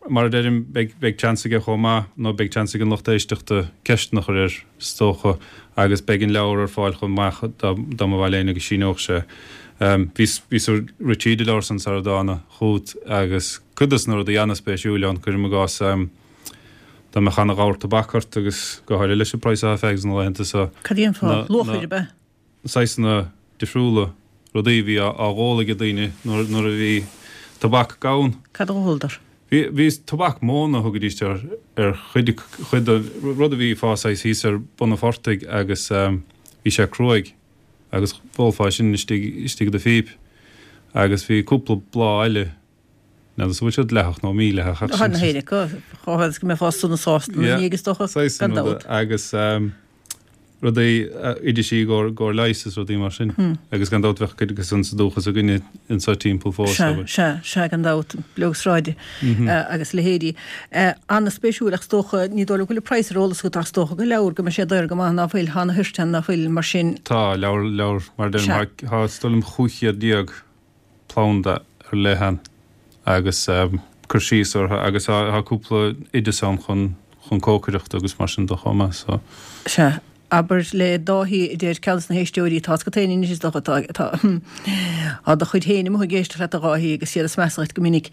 Mar a deirim, beidh beidh seans aige chomh maith, nó beidh seans ag an lucht éisteachta ceisteanna a chur air is dócha agus beidh an leabhar ar fáil chomh maith dá dá mba mhaith le éinne go síneodh sé. Bhíos bhíos ag rith tríd an leabhar san sara dtána chugat agus cuid dos na rudaí ana-spéisiúil ann, cuirim i gcás, Dá mbeadh ana-ghabhar tobac ort agus go háirithe leis an praghas atá fags na laethanta so, Cad é an fáth? na, Luachair, na ab ea? saghsanna difriúla rudaí a bhí á, á dh'ól ag daoine nuair, nuair a bhí tobac gann. Cad a dh'óladar? Bhí, bhí tobac móna a thugaidís ar, ar chuid, chuid de, rud a bhí ag fás saghas thíos ar bun an phortaigh agus bhí sé cruaidh agus dh'ólfá sin istigh, istigh i do phíp agus bhí cúpla bláth eile N'fheadar an bhfuil sé dleathach nó mídhleathach ach sin. Tá na héinne acu, chomh fada is go mbeifeá sona sásta ina ndiaidh is dócha, gan dabht. Agus rudaí, oidisí i gcomhair leighis is rudaí mar sin. Agus gan dabht bheadh cuid acu san sa dúchas againne anseo timpeall fós. Sea, sea, sea, gan dabht, bileog sráide agus a leithéidí. An-spéisiúil ach is dócha, ní dóigh liom go bhfuil an praghas ar eolas agat ach is dócha go leabhar go mbeidh sé daor go maith ná fuil, thá na thoirt ann ná fuil, mar sin. Tá, leabhar, leabhar, mar a deirim, thá, is dóigh liom chúig chéad déag planda ar leith ann agus cur síos orthu agus tá cúpla oideas ann chun chun cócaireachta agus mar sin de chomh maith so. Sea, abair le Dáithí a deir ceann des na héisteoirí, tá's agat féin anois is dócha, tá tá tá do chuid féin amuigh ag éisteacht leat a Dháithí agus iad ag smeasadh duit go minic.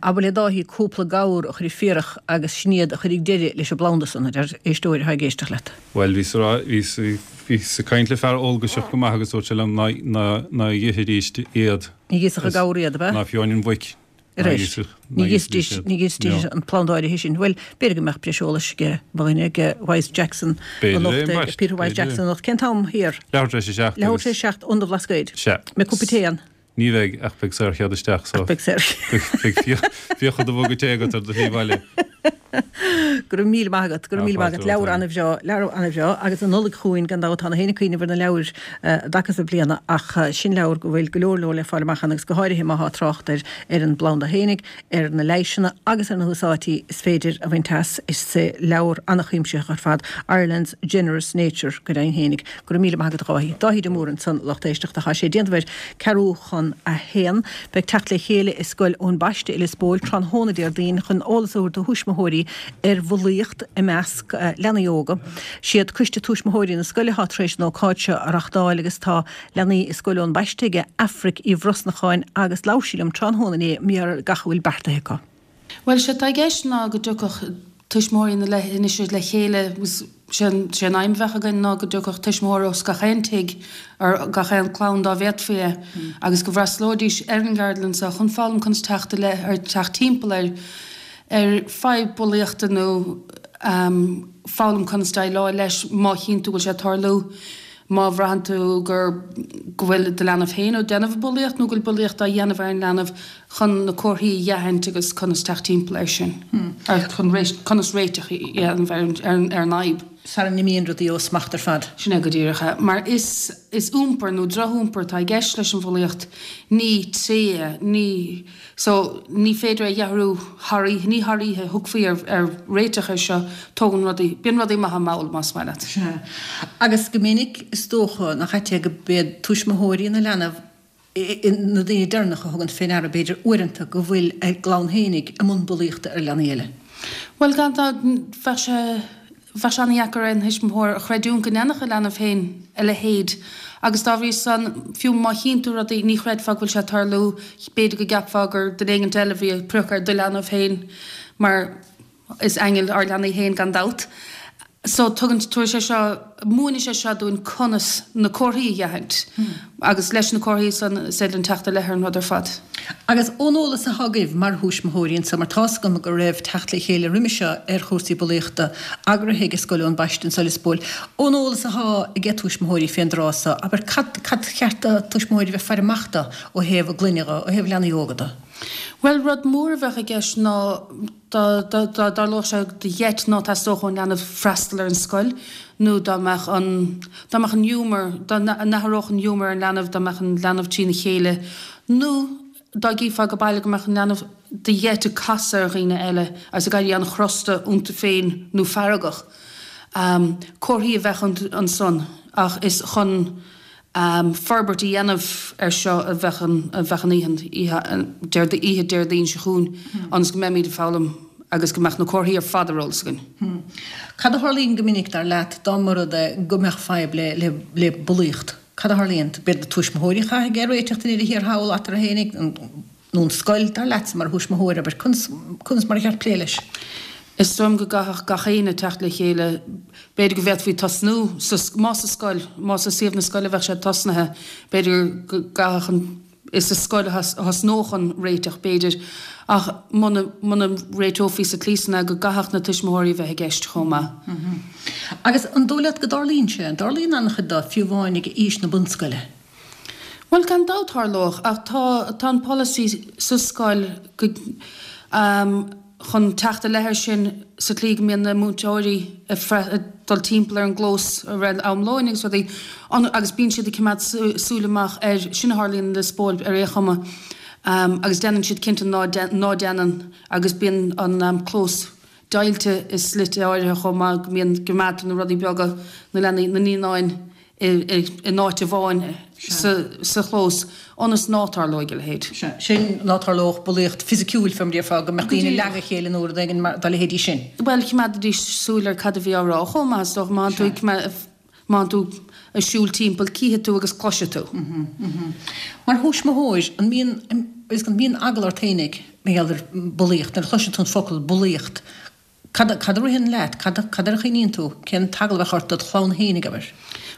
Abair le Dáithí cúpla gabhar a chur ag fiarach agus sin iad a chuirfidh deireadh leis an bplanda san, a deir éisteoir atá ag éisteacht leat. Bhuel, bhíos a rá, bhíos, bhíos ag caint le fear eolgaiseach go maith agus dúirt sé liom ná, ná, ná dh'ithidís iad. Ní dh'íosfadh an gabhar iad, ab ea? Ná fiú amháin an mhuic. Ar ais. Ní dh'íosfaidís, ní dh'íosfaidís an planda áirithe sin. Bhuel, b'fhéidir go mbeadh breis eolais ag mo dhuine, ag Wyse Jackson anocht, ag Peter Wyse Jackson anocht. Cén t-am thiar? Leathuair tar éis a seacht. Leathuair tar éis a seacht, Ionad an Bhlascaoid. Sea. Mbeidh cupa tae ann? Ní bheidh, ach beidh saorchead isteach, so. Ach beidh saorchead. Beidh fiacha do mhuga tae agat ar do shlí abhaile. Go raibh míle maith agat, go raibh míle maith agat. Leabhar an-bhreá, leabhar an-bhreá agus an Nollaig chugainn gan dabht tá na héinne ag cuimhneamh ar na leabhair i dtaca na bliana ach sin leabhar go bhfuil go leor leor le fáil amach ann agus go háirithe má thá trácht ar ar an bplanda fhéinig, ar na leighiseanna agus ar na húsáidí is féidir a bhaint as. Is leabhar an-chuimsitheach ar fad Ireland's Generous Nature go deimhin fhéinig. Go raibh míle maith agat a Dháithí. Dáithí de Mórdha ansan lucht éisteachta. Tá sé déanamh ar ceathrú chun a haon. Beidh teacht le chéile i Scoil Eoin Baiste i Lios Póil tráthnóna Déardaoin chun eolas a thabhairt do thuismitheoirí ar bhulaíocht i measc leanaí óga. Siad Coiste Tuismitheoirí na scoile atá tar éis an ócáid seo a reachtáil agus tá leanaí i Scoil Eoin Baiste aige Aifric Uí Bhrosnacháin agus labhair sí liom tráthnóna inné mar gach a bhfuil beartaithe acu. Bhuel, sé atá i gceist ná go dtiocfadh tuismitheoirí na leithinise le chéile agus sé an aidhm a bheadh againn ná go dtiocfadh tuismitheoir os gach aon tigh ar gach aon clann dá bhféadfaí é agus go bhfreastalóidís ar an gceardlann seo chun foghlaim conas teacht i leith ar teacht timpeall ar ar fadhb bulaíochta nó foghlaim conas déileáil leis má chíonn tú go bhfuil sé ag tarlú. Má bhraitheann tú gur go bhfuil do leanbh féin á déanamh bulaíocht nó go bhfuil bulaíocht á dhéanamh ar an leanbh chun na comharthaí a dh'aithint agus conas teacht timpeall air sin, ar chun conas réiteach a dhéanamh ar an ar an fhadhb. Sara n-imíonn rudaí ó smacht ar fad. Sin é go díreach é. Mar is is iompar nó drochiompar atá i gceist leis an bhulaíocht, ní tréith é, ní. So, ní féidir é a dh'athrú thar oíche, ní thar oíche a thiocfaí ar, ar réiteach air seo, tógann rudaí, bíonn rudaí maith mall, más maith leat. Sea. Agus go minic, is dócha, nach ait é go b'iad tuismitheoirí na leanbh na daoine deireanacha a thugann fé ndeara, b'fhéidir, uaireanta, go bhfuil a gclann fhéinig i mbun bulaíochta ar leanaí eile. Bhuel, gan dabht, bheadh sé. Bheadh sé an-dheacair ar aon thuismitheoir a chreidiúint go ndéanfadh a leanbh féin a leithéid agus dá bhrí san, fiú má chíonn tú rudaí, ní chreidfeá go bhfuil sé ag tarlú, b'fhéidir go gceapfá gur duine éigint eile a bhí ag priocadh ar do leanbh féin mar is aingil ár leanaí féin gan dabht. So tugann, tabharfaidh sé seo, múinfidh sé seo dúinn conas na comharthaí a dh'aithint agus leis na comharthaí san is féidir linn teacht i leith ar an rud ar fad. Agus ón eolas atá agaibh mar thuismitheoirí anseo, mar tá's agam go raibh teacht le chéile roimhe seo ar chúrsaí bulaíochta eagraithe ag Scoil Eoin Baiste anseo i Lios Póil, ón eolas atá ag tuismitheoirí fén dtráth so, abair, cad, cad cheart do tuismitheoirí bheith faire amach do ó thaobh a gclainne dho, ó thaobh leanaí óga do? Bhuel, rud mór a bheadh i gceist ná dá dtarlódh sé de gheit ná teastódh ón leanbh freastal ar an scoil nó dá mbeadh an, dá mbeadh an giúmar, dá n-athródh an giúmar ar an leanbh, dá mbeadh an leanbh trína chéile nó dá gcífeá ag baile go mbeadh an leanbh de gheit ag casadh ar dhaoine eile agus ag éirí an-chrosta iontu féin nó feargach. Comharthaí a bheadh ansan ach is chun forbairt a dhéanamh air seo a bheadh an a bheadh an oíche oíche Déardaoin seo chugainn ionas go mbeimid ag foghlaim agus go mbeadh na comharthaí ar fad ar eolas againn. Cad a tharlaíonn go minic, dar leat, dá mba rud é go mbeadh fadhb le le le bulaíocht? Cad a tharlaíonn? B'iad na tuismitheoirí a chaithfidh é a réiteach i ndeireadh thiar thall eatarthu fhéinig, nó an scoil, dar leatsa, mar thuismitheoir, abair, conas, conas mar a cheart plé leis? Is dóigh liom go gcaithfeadh gach éinne teacht le chéile. B'fhéidir go bhféadfaí tosnú sa, más sa scoil, más i suíomh na scoile a bheadh sé tosnaithe, b'fhéidir go gcaithfeadh an, is sa scoil a thosnódh an réiteach, b'fhéidir, ach muna, muna réiteofaí sa tslí san é, go gcaithfeadh na tuismitheoirí a bheith i gceist chomh maith. Agus an dóigh leat go dtarlaíonn sé, an dtarlaíonn an-chuid de, fiú amháin ag aois na bunscoile? Bhuel, gan dabht tharlódh, ach tá tá an polasaí sa scoil go chun teacht i leith air sin sa tslí go mbíonn na múinteoirí ag dul timpeall ar an gclós i rith am lóin agus rudaí agus bíonn siad ag coimeád súil amach air sin a tharlaíonn i Lios Póil ar aon chuma agus déanann siad cinnte ná ná déanann agus bíonn an clós deighilte i slite áirithe chomh maith go mbíonn go gcoimeádtar na rudaí beaga na leanaí na naíonáin in áit amháin sa chlós ionas ná tarlóidh a leithéid. Sea, sin ná tarlódh bulaíocht fisiciúil fé mar a déarfá, go mbeadh daoine ag leagadh a chéile nó rud éigin mar dá leithéidí sin. Bhuel, choimeádaidís súil ar cad a bhí á rá chomh maith, is dócha, má tú má tú ag siúl timpeall, cífidh tú agus cloisfidh tú. Mar thuismitheoir, an mbíonn, an mbíonn eagla ort fhéinig mar gheall ar bulaíocht, nuair a chloiseann tú an focal bulaíocht, Cad a ritheann leat? Cad air a chuimhníonn tú? Cén t-eagla a bheadh ort dod chlann fhéinig, abair?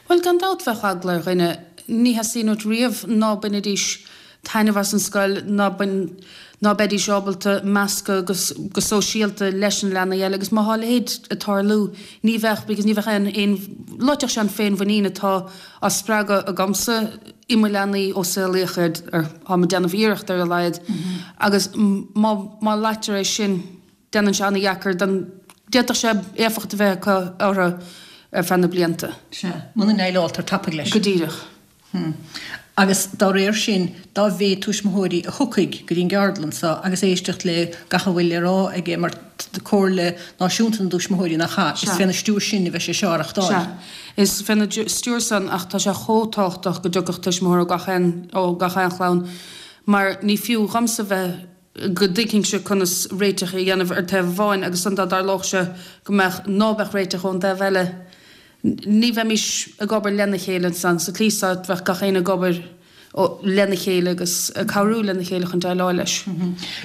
Bhuel, gan dabht bheadh eagla ar dhuine. Ní theastaíonn uait riamh ná bainfidís taitneamh as an scoil, ná ná beidís ábalta meascadh go go sóisialta leis na leanaí eile agus má thá a leithéid ag tarlú ní bheadh because ní bheadh aon aon loitfeadh sé an féinmhuinín atá á spreagadh agamsa i mo leanaí ó saolaíodh iad ar táim ag déanamh iarracht ar a laghad agus má má loitear é sin Déanann sé an-dheacair don. D'fhéadfadh sé éifeacht a bheith acu orthu ar feadh na blianta. Sea. Muna ndéileáltar tapaidh leis. Go díreach. Hm. Agus dá réir sin, dá mhéad tuismitheoirí a thiocfaidh go dtí an gceardlann seo agus éisteacht le gach a bhfuil le rá aige mar Comhairle Náisiúnta na dTuismitheoirí nach ea? Is féna stiúir sin a bheidh sé seo á reachtáil. Sea. Is féna stiúir san ach tá sé chomh tábhachtach go dtiocfadh tuismitheoir ó gach aon ó gach aon chlann mar ní fiú dhomsa bheith go dtuigfinnse conas réiteach a dhéanamh ar taobh amháin agus ansan dá dtarlódh sé go mbeadh, ná beadh réiteach ón dtaobh eile, ní bheimis ag obair lena chéile ansan. Sa tslí so, bheadh gach éinne ag obair lena chéile agus ag cabhrú lena chéile chun déileáil leis.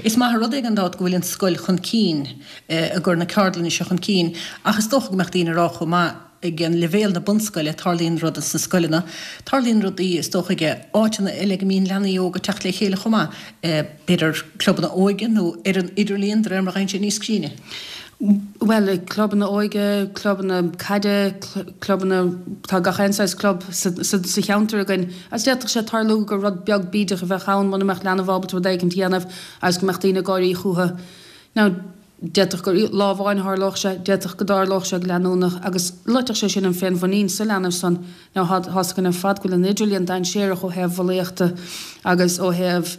Is maith an rud é gan dabht go bhfuil an scoil chun cinn, ag cur na ceardlainne seo chun cinn ach is dócha go mbeadh daoine ag rá chomh maith, ag an leibhéal na bunscoile, tarlaíonn rudaí sna scoileanna, tarlaíonn rudaí is dócha ag áiteanna eile go mbíonn leanaí óga ag teacht le chéile chomh maith, b'fhéidir clubanna óige nó ar an idirlíon de réir mar a gheibheann sé níos cruinne. Bhuel, clubanna óige, clubanna caide, clubanna, tá gach aon saghas club sa cheantar againn agus d'fhéadfadh sé tarlú gur rud beag bídeach a bheadh ann muna mbeadh leanbh ábalta rud éigint a dhéanamh agus go mbeadh daoine ag gáirí chúthu. Now, D'fhéadfadh gur lá amháin a tharlódh sé, d'fhéadfadh go dtarlódh sé go leanúnach agus loitfeadh sé sin an féinmhuinín sa leanbh san. Now tá 's againn ar fad go bhfuil an idirlíon dainséarach ó thaobh bhulaíochta agus ó thaobh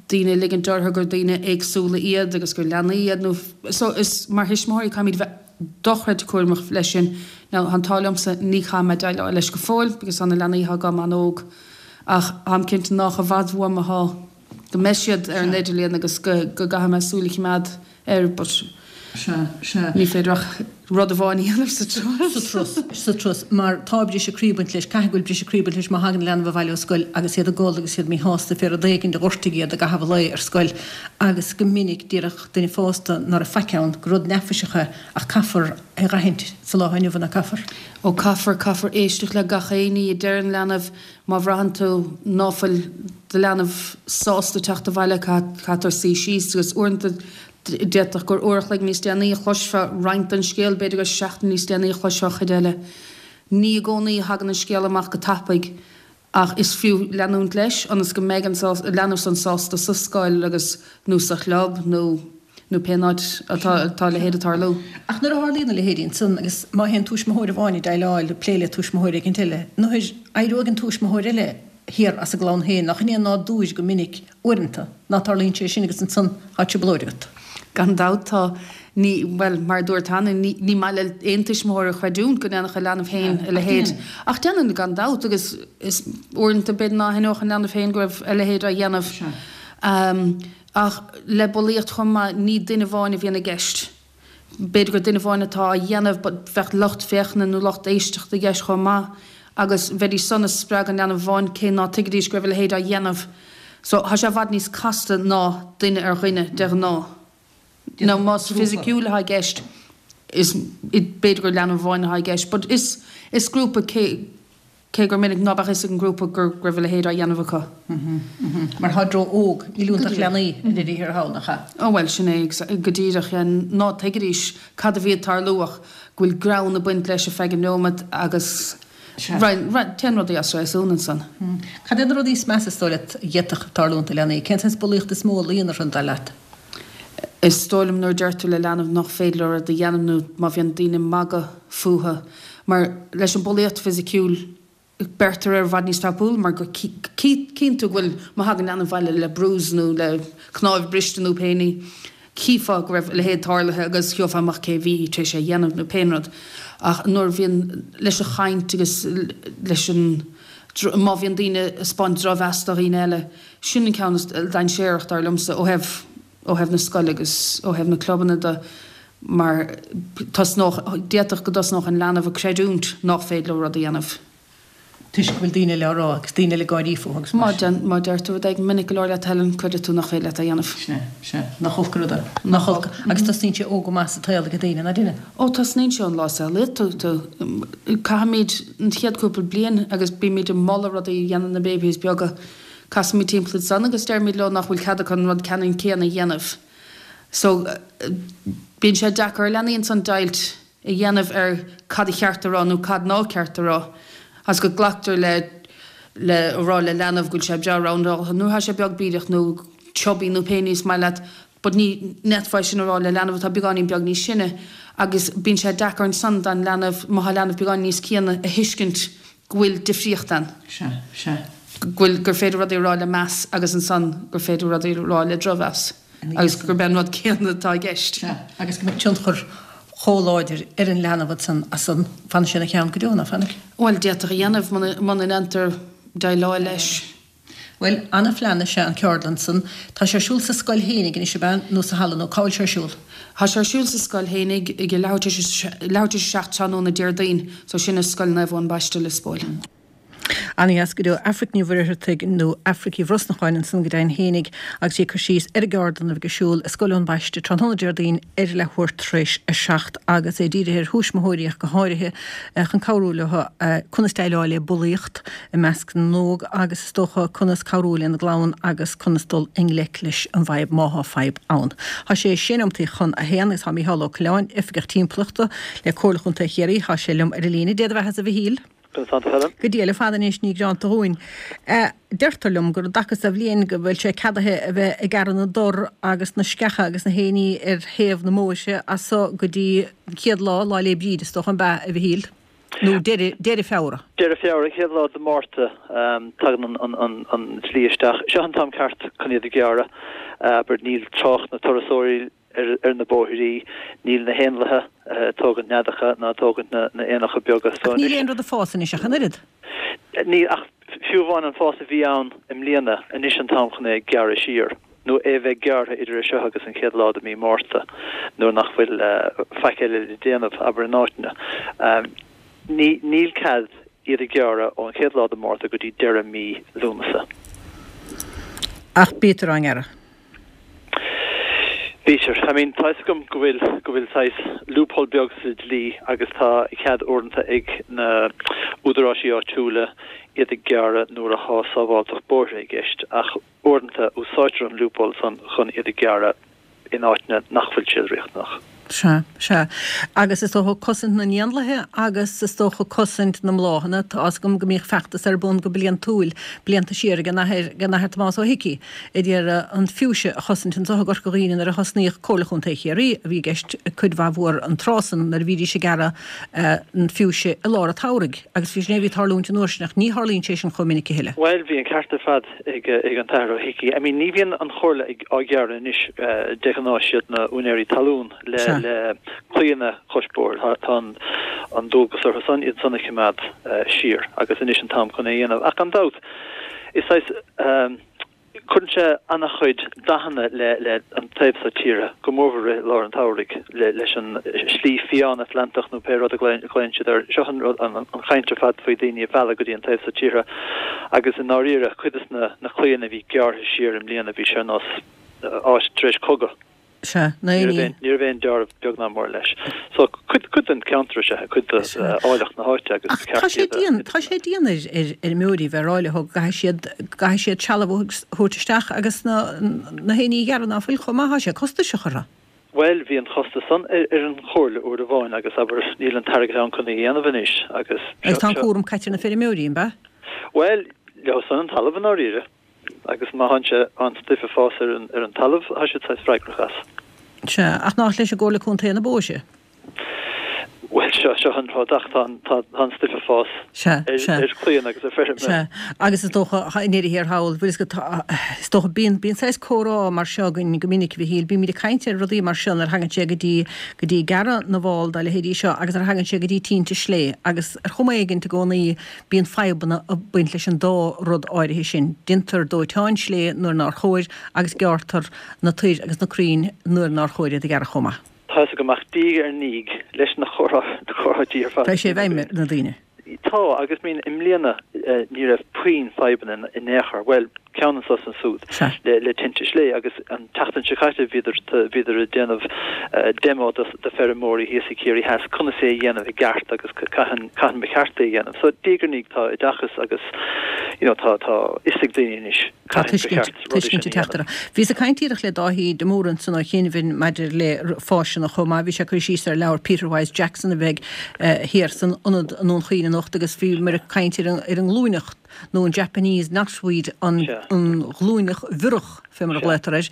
daoine ag ligint orthu gur daoine éagsúla iad agus gur leanaí iad nó so is mar thuismitheoirí caithfimid bheith dochreidte cúramach leis sin. Now tá an t-ádh liomsa ní chaithfidh mé déileáil leis go fóill because tá na leanaí atá agam an-óg ach táim cinnte nách i bhfad uaim atá go mbeidh siad ar an idirlíon agus go gcaithfidh mé súil a choimeád air but ní féidir ach rud amháin a dhéanamh sa turas. Sa turas, sa turas, mar tá briseadh croí ag baint leis, caithfidh go bhfuil briseadh croí ag baint leis má thagann leanbh abhaile ó scoil agus iad ag gol agus iad míshásta fé rud éigin a ghortaigh iad i gcaitheamh an lae ar scoil agus go minic déarfadh duine fásta ná raibh faic ann, gur rud neafaiseach é ach caithfear é dh'aithint sa lá inniu nach gcaithfear? Ó caithfear, caithfear éisteacht le gach aon ní a deir an leanbh, Má bhraitheann tú ná fuil do leanbh sásta teacht abhaile, caithfear suí síos agus uaireanta d'fhéadfadh gur uair a chloig níos déanaí a chloisfeá roinnt den scéal, b'fhéidir gur seachtain níos déanaí a chloisfeá chuid eile. Ní i gcónaí a thagann an scéal amach go tapaidh ach is fiú leanúint leis ionas go mbeidh an leanbh san sásta sa scoil agus nó sa chlub nó nó pén áit atá a leithéid ag tarlú. Ach nuair a tharlaíonn a leithéidí ansan, agus má théann tuismitheoir amháin ag déileáil, ag plé le tuismitheoir éicint eile, nuair éireoidh an tuismitheoir eile thiar as a gclann féin, nach in é an nádúr go minic, uaireanta, ná tarlaíonn sé sin agus ansan tá trioblóid agat. Gan dabht tá. Ní, bhuel, mar a dúirt cheana, ní, ní maith le aon tuismitheoir a chreidiúint go ndéanfadh a leanbh féin a leithéid. Ach déanann, gan dabht, agus is uaireanta b'fhéidir ná haithneodh an leanbh féin go raibh a leithéid á dhéanamh. Ach le bulaíocht chomh maith, ní duine amháin a bhíonn i gceist. B'fhéidir gur duine amháin atá á dhéanamh but bheadh lucht féachana nó lucht éisteachta i gceist chomh maith agus bheidís san ag spreagadh an leanbh amháin cé ná tuigfidís go raibh a leithéid á dhéanamh. So tá sé i bhfad níos casta ná duine ar dhuine de ghnáth. Now más fisiciúil atá i gceist is b'fhéidir gur leanbh amháin atá i gceist but is is grúpa cé Cé gur minic ná beadh fhios ag an ngrúpa go raibh a leithéid á dhéanamh acu. Mar tá ró óg, níl iontu ach leanaí i ndeireadh thiar thall, nach ea? Ó bhuel, sin é go díreach, yeah. Ná tuigfidís cad a bhí ag tarlú ach go bhfuil greann ag baint leis ar feadh an neomat agus Téann rudaí as réasún ansan. Cad é na rudaí is measa is dóigh leat a d'fhéadfadh tarlúint do leanaí? Cén saghas bulaíocht is mó a luíonn orthu, dar leat? Is dóigh liom nuair a deir tú le leanbh nach féidir leo rud a dhéanamh nó má bhíonn daoine ag magadh fúthu. Mar leis an bulaíocht fisiciúil, beirtear air i bhfad níos tapúla mar go cíonn tú go bhfuil, má thagann leanbh abhaile le bruise nó le cnáimh briste nó pé ní, chífeá go raibh a leithéid tarlaithe agus gheofá amach cé bhí tar éis é a dhéanamh nó pé rud. Ach nuair a bhíonn leis an chaint agus leis an, má bhíonn daoine ag 'spáint drochmheas do dhaoine eile, sin an ceann is dainséarach dar liomsa ó thaobh, ó thaobh na scoile agus ó thaobh na clubanna de mar tosnódh, d'fhéadfadh go dtosnódh an leanbh ag creidiúint nach féidir leo rud a dhéanamh. Toisc go bhfuil daoine eile á rá agus daoine eile ag gáirí fúthu agus mar sin. Má deir tú rud éigin minic go leor le Helen, creidfidh tú nach féidir leat é a dhéanamh. Sea, sea. Nach olc an rud é. Nach olc. Agus tosnaíonn sé óg go maith sa tsaol ag daoine, ná deineann? Ó, tosnaíonn sé ón lá a saolaíonn tú. Caithfimid an chéad cúpla bliain agus bímid ag moladh rudaí a dhéanamh na babies beaga. Casaimid timpeall ansan agus deirimid leo nach bhfuil cead acu an rud ceannann céanna a dhéanamh. So, bíonn sé deacair ar leanaí ansan deighilt a dhéanamh ar cad a cheart a rá nó cad ná ceart a rá agus go nglactar le le a rá le leanbh go bhfuil sé breá roundáilte nuair atá sé beag bídeach nó chubby nó pé ní is maith leat but ní fhéadfá é sin a rá le leanbh atá beagáinín beag níos sine agus bíonn sé deacair ansan don leanbh má tá leanbh beagáinín níos críonna a thuiscint go bhfuil difríocht ann. Sea, sea. Go bhfuil, gur féidir rudaí a rá le meas agus ansan gur féidir rudaí a rá le drochmheas agus gurb é an rud céanna atá i gceist. Sea, agus go mbeidh tionchar chomh láidir ar an leanbh ansan as san, fanfaidh sé ina cheann go deo, ná fanfaidh? Bhuel, d'fhéadfadh a dhéanamh muna, muna ndéantar déileáil leis. Bhuel, ana-phlean is ea an ceardlann san. Tá sé ar siúl sa scoil fhéinig anois, ab ea, nó sa halla, nó cá bhfuil sé ar siúl? Tá sé ar siúl sa scoil fhéinig ag leathuair tar éis, leathuair tar éis a seacht tráthnóna Déardaoin, so sin i Scoil Naomh Eoin Baiste, Lios Póil. Ana-dheas go deo. Aifric Ní Mhuircheartaigh nó Aifric Uí Bhrosnacháin ansan go deimhin fhéinig agus í ag cur síos ar an gceardlann a bheidh ar siúl i Scoil Eoin Baiste tráthnóna Déardaoin ar leathuair tar éis a seacht agus é dírithe ar thuismitheoirí ach go háirithe chun cabhrú leo conas déileáil le bulaíocht i measc na n-óg agus is dócha conas cabhrú lena gclann agus conas dul i ngleic leis an bhfadhb má thá fadhb ann. Thá sé sé nóimeataí chun a haon agus thá Mícheál Ó Coileáin, Oifigeach Timpeallachta le Comhairle Chontae Chiarraí, thá sé liom ar an líne. Dé do bheatha-sa a Mhichíl. Conas tánn tú Helen? Go diail ar fad anois, ní greanta dhúinn. Deirtear liom gur i dtaca so bhliain go bhfuil sé ceadaithe a bheith ag gearradh na dtor agus na sceacha agus na haon ní ar thaobh na mbóithre as so go dtí an chéad lá, Lá 'le Bríde is dócha, an b'ea, a Mhichíl? Nó deireadh, deireadh Feabhra. Deireadh Feabhra, chéad lá de Mhárta, tagann an an dlí isteach. Seo an t-am ceart chun iad a ghearradh. Abair, níl trácht na turasóirí ar na bóithrí, níl na héanlaithe ag tógaint neadacha ná ag tógaint na n-éanacha beaga. So Ach níl aon rud ag fás anois ach an oiread. Níl, ach fiú amháin an fás a bhí ann i mbliana, anois an t-am chun é a ghearradh siar, nó é a bheith gearrtha idir é seo agus an chéad lá de mí Márta, nuair nach bhfuil faic eile le déanamh, abair, in áiteanna. Ní, níl cead iad a ghearradh ón chéad lá de Mhárta go dtí deireadh mí Lúnasa. Ach bítear á ngearradh. Bítear. I mean, tá fhios agam go bhfuil, go bhfuil saghas loophole beag sa dlí agus tá cead uaireanta ag na údaráisí áitiúla iad a ghearradh nuair athá sábháilteacht bóithre i gceist ach uaireanta úsáidtear an loophole san chun iad a ghearradh in áiteanna nach bhfuil siad riachtanach. Sea, sea. Agus is dócha cosaint na n-éanlaithe agus is dócha cosaint na mbláthanna. Tá fhios agam go mbíodh feachtas ar bun go bliantúil, blianta siar, ag an Athair, ag an Athair Tomás Ó hIcí, ag iarraidh an fuchsia a chosaint anseo i gCorca Dhuibhne nuair a thosnaíodh Comhairle Chontae Chiarraí, a bhí i gceist cuid mhaith mhór an tráth san nuair a bhídís ag gearradh an fuchsia i lár an tsamhraidh. Agus bhí sin é a bhí ag tarlúint an uair sin ach ní tharlaíonn sé sin chomh minic a thuilleadh. Bhuel, bhí an ceart ar fad ag an tAthair Ó hIcí. I mean, ní bhíonn an Chomhairle á ghearradh anois de ghnáth, siad na úinéirí talún. le claíonna cois bóthair. Tá an dualgas orthu san iad san a choimeád siar agus anois an t-am chun é a dhéanamh. Ach gan dabht, is saghas, cuireann sé ana-chuid dathanna le an taobh seo tíre, go mórmhór i lár an tsamhraidh, leis an slí fiáin Atlantach nó pé rud a ghlaonn siad air. Seo an rud, an chaint ar fad faoi daoine a mhealladh go dtí an taobh seo tíre agus i ndáiríre, cuid de na claíonna a bhí gearrtha siar i mbliana, bhí sé ar nós áit tar éis cogadh. Sea, Ní raibh aon, ní raibh aon dealramh beag ná mór leis. So, cuid, cuid den cheantar is ea é, cuid de áilleacht na háite agus Ach tá sé dian, tá sé dian ar, ar fheirmeoirí bheith ag rá leo go gcaithfidh siad, go gcaithfidh siad trealamh a thabhairt isteach agus na, na haon ní a ghearradh ná fuil chomh maith, tá sé costasach orthu. Bhuel, bhí an costas san ar an Chomhairle uair amháin agus, abair, níl an t-airgead ann chun é a dhéanamh anois agus. Agus tá an cúram caite ar na feirmeoirí, an ea? Bhuel, leo san an talamh i ndáiríre agus má tánn sé, an stuif ag fás ar an, ar an talamh, tá siad saghas freagrach as. Sea, ach nach leis an gComhairle Contae na bó sé? Bhuel, seo, seo an rud ach tá an, tá, tá an stuif ag fás Sea, ar, sea. ar chlaíonna agus ar feirm. Sea, agus is dócha, i ndeireadh thiar thall, bhfuil fhios agat, tá, is dócha, bíonn, bíonn saghas comhrá mar seo againn go minic, a Mhichíl, bímid ag caint ar rudaí mar seo nuair a thagann sé go dtí, go dtí gearradh na bhfál dá leithéidí seo agus nuair a thagann sé go dtí tinte slé agus ar chuma éigint i gcónaí bíonn fadhbanna ag baint leis an dá rud áirithe sin. Déantar dóiteáin slé nuair nár chóir agus gearrtar na toir agus na crainn nuair nár chóir iad a ghearradh chomh maith. Tá fhios agam ach diaidh ar ndiaidh leis na comhráití ar fad. Tá sé i bhfeidhm ar na daoine. Tá, agus I mean i mbliana ní raibh puinn fadhbanna in aon chor, bhuel, ceann anso is ansúd le tinte slé agus an tseachtain seo caite bhíodar bhíodar ag déanamh demo do feirmeoirí thíos i Ciarraí Theas conas é a dhéanamh i gceart agus cathain cathain ba cheart é a dhéanamh. So diaidh ar ndiaidh tá oideachas agus you know tá tá fhios ag daoine anois. Tá tuiscint ag teacht orthu. Bhíos ag caint díreach le Dáithí de Mórdha ansan ó chianaibh maidir le fáiseanna chomh maith. Bhí sé ag cur síos ar leabhar Peter Wyse Jackson a bheidh thiar san ionad i nDún Chaoin anocht agus bhíomar ag caint ar an nglúineach nó an Japanese knotweed, an ghlúineach bhiorach fé mar a ghlaotar air.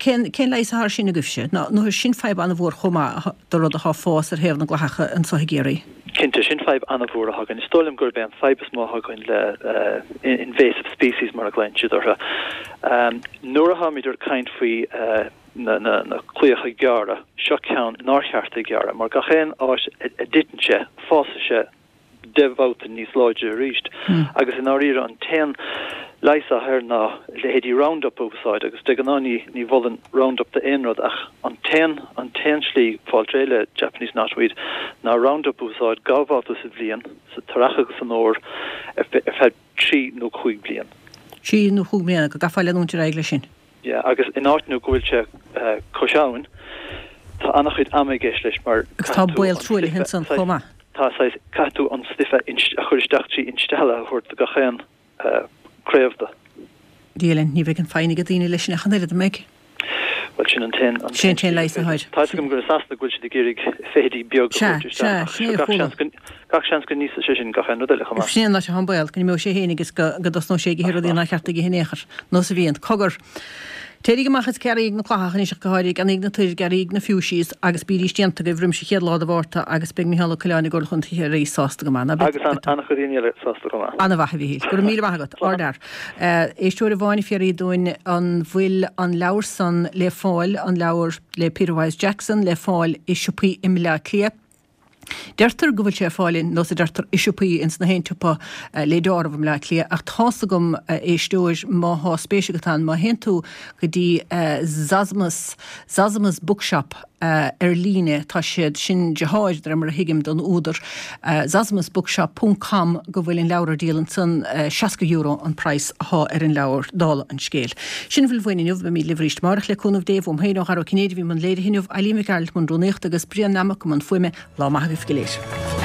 Cén leigheas atá ar sin agaibhse? Nó sin fadhb an-mhór chomh maith do rud atá ag fás ar thaobh na gclathacha anso i gCiarraí. Cinnte, sin fadhb an-mhór atá againn. Is dóigh liom gurb é an fadhb is mó atá againn le invasive species mar a ghlaonn siad orthu. Nuair atáimid ag caint faoi na claíocha gearra, seo ceann nár cheart é gearradh mar gach aon áit a dtiteann sé, fásfaidh sé deich mbabhta níos láidre arís. Agus i ndáiríre an t-aon leigheas atá air ná leithéidí Roundup a úsáid agus de ghnáth ní ní mholainn Roundup d'aon rud ach an t-aon an t-aon slí fáil réidh le Japanese knotweed ná Roundup a úsáid dhá bhabhta sa bhliain, sa t-earrach agus san fhómhar ar feadh trí nó cúig bliain. Trí nó cúig bliana, go gcaithfeá leanúint ar aghaidh leis sin. Yeah, agus in áiteanna go bhfuil sé cois abhann, tá an-chuid ama i gceist leis mar Agus tá baol truaillithe ansan chomh maith. Tá saghas, caithfidh tú an stuif a chur isteach trí instealladh a thabhairt do gach aon craobh de. Dia linn, ní bheidh an foighne ag daoine leis sin ach an oiread, an mbeidh? Bhuel, sin an t-aon, an Sin an t-aon leigheas atá air. Tá fhios agam gur i Sasana go bhfuil siad ag iarraidh feithidí beag a Sea, thabhairt isteach sea, ach sin é a gach chuala. seans go, gach seans go n-íosfaidh sé sin gach aon rud eile chomh maith. Sin é an áit atá an baol, go n-imeoidh sé féin agus go, go dtosnóidh sé ag ithe rudaí nár cheart aige in aon chor. Nós a bhíonn. Cogar! Téiríg amach is gearraíg na clathacha anois ach go háirithe, ceannaíg na toir, gearraíg na fuchsias agus bídís déanta agaibh roimis an chéad lá de Mhárta agus beidh Micheál Ó Coileáin i gComhairle Chontae Chiarraí sásta go maith. Ná Agus an-chuid daoine eile sásta chomh maith. An-mhaith a Mhichíl. Go raibh míle maith agat. Ardfhear. Éisteoir amháin ag fiafraí dúinn an bhfuil an leabhar san le fáil, an leabhar le Peter Wyse Jackson le fáil i siopaí i mBleá Cliath. Deirtear go bhfuil sé ar fáil in, nós a deirtear, i siopaí ins na haon tsiopa le deáramh i mBleá Cliath ach tá's agam, a éisteoir, má thá spéis agat ann, má théann tú go dtí Zosimus, Zosimus Bookshop ar líne, tá siad, sin deartháir, de réir mar a thuigim, don údar, Zosimus Bookshop ponc com go bhfuil an leabhar ar díol ansan, seasca euro an praghas athá ar an leabhar, dála an scéil. Sin a bhfuil uainn inniu, beimid libh arís amárach le cúnamh Dé, uaim féin, ó Dhara Ó Cinnéide a bhí i mbun léirithe inniu, Eileen Mhic Gearailt i mbun rúnaíochta agus Brian Nammock i mbun fuaime. Lá maith agaibh go léir.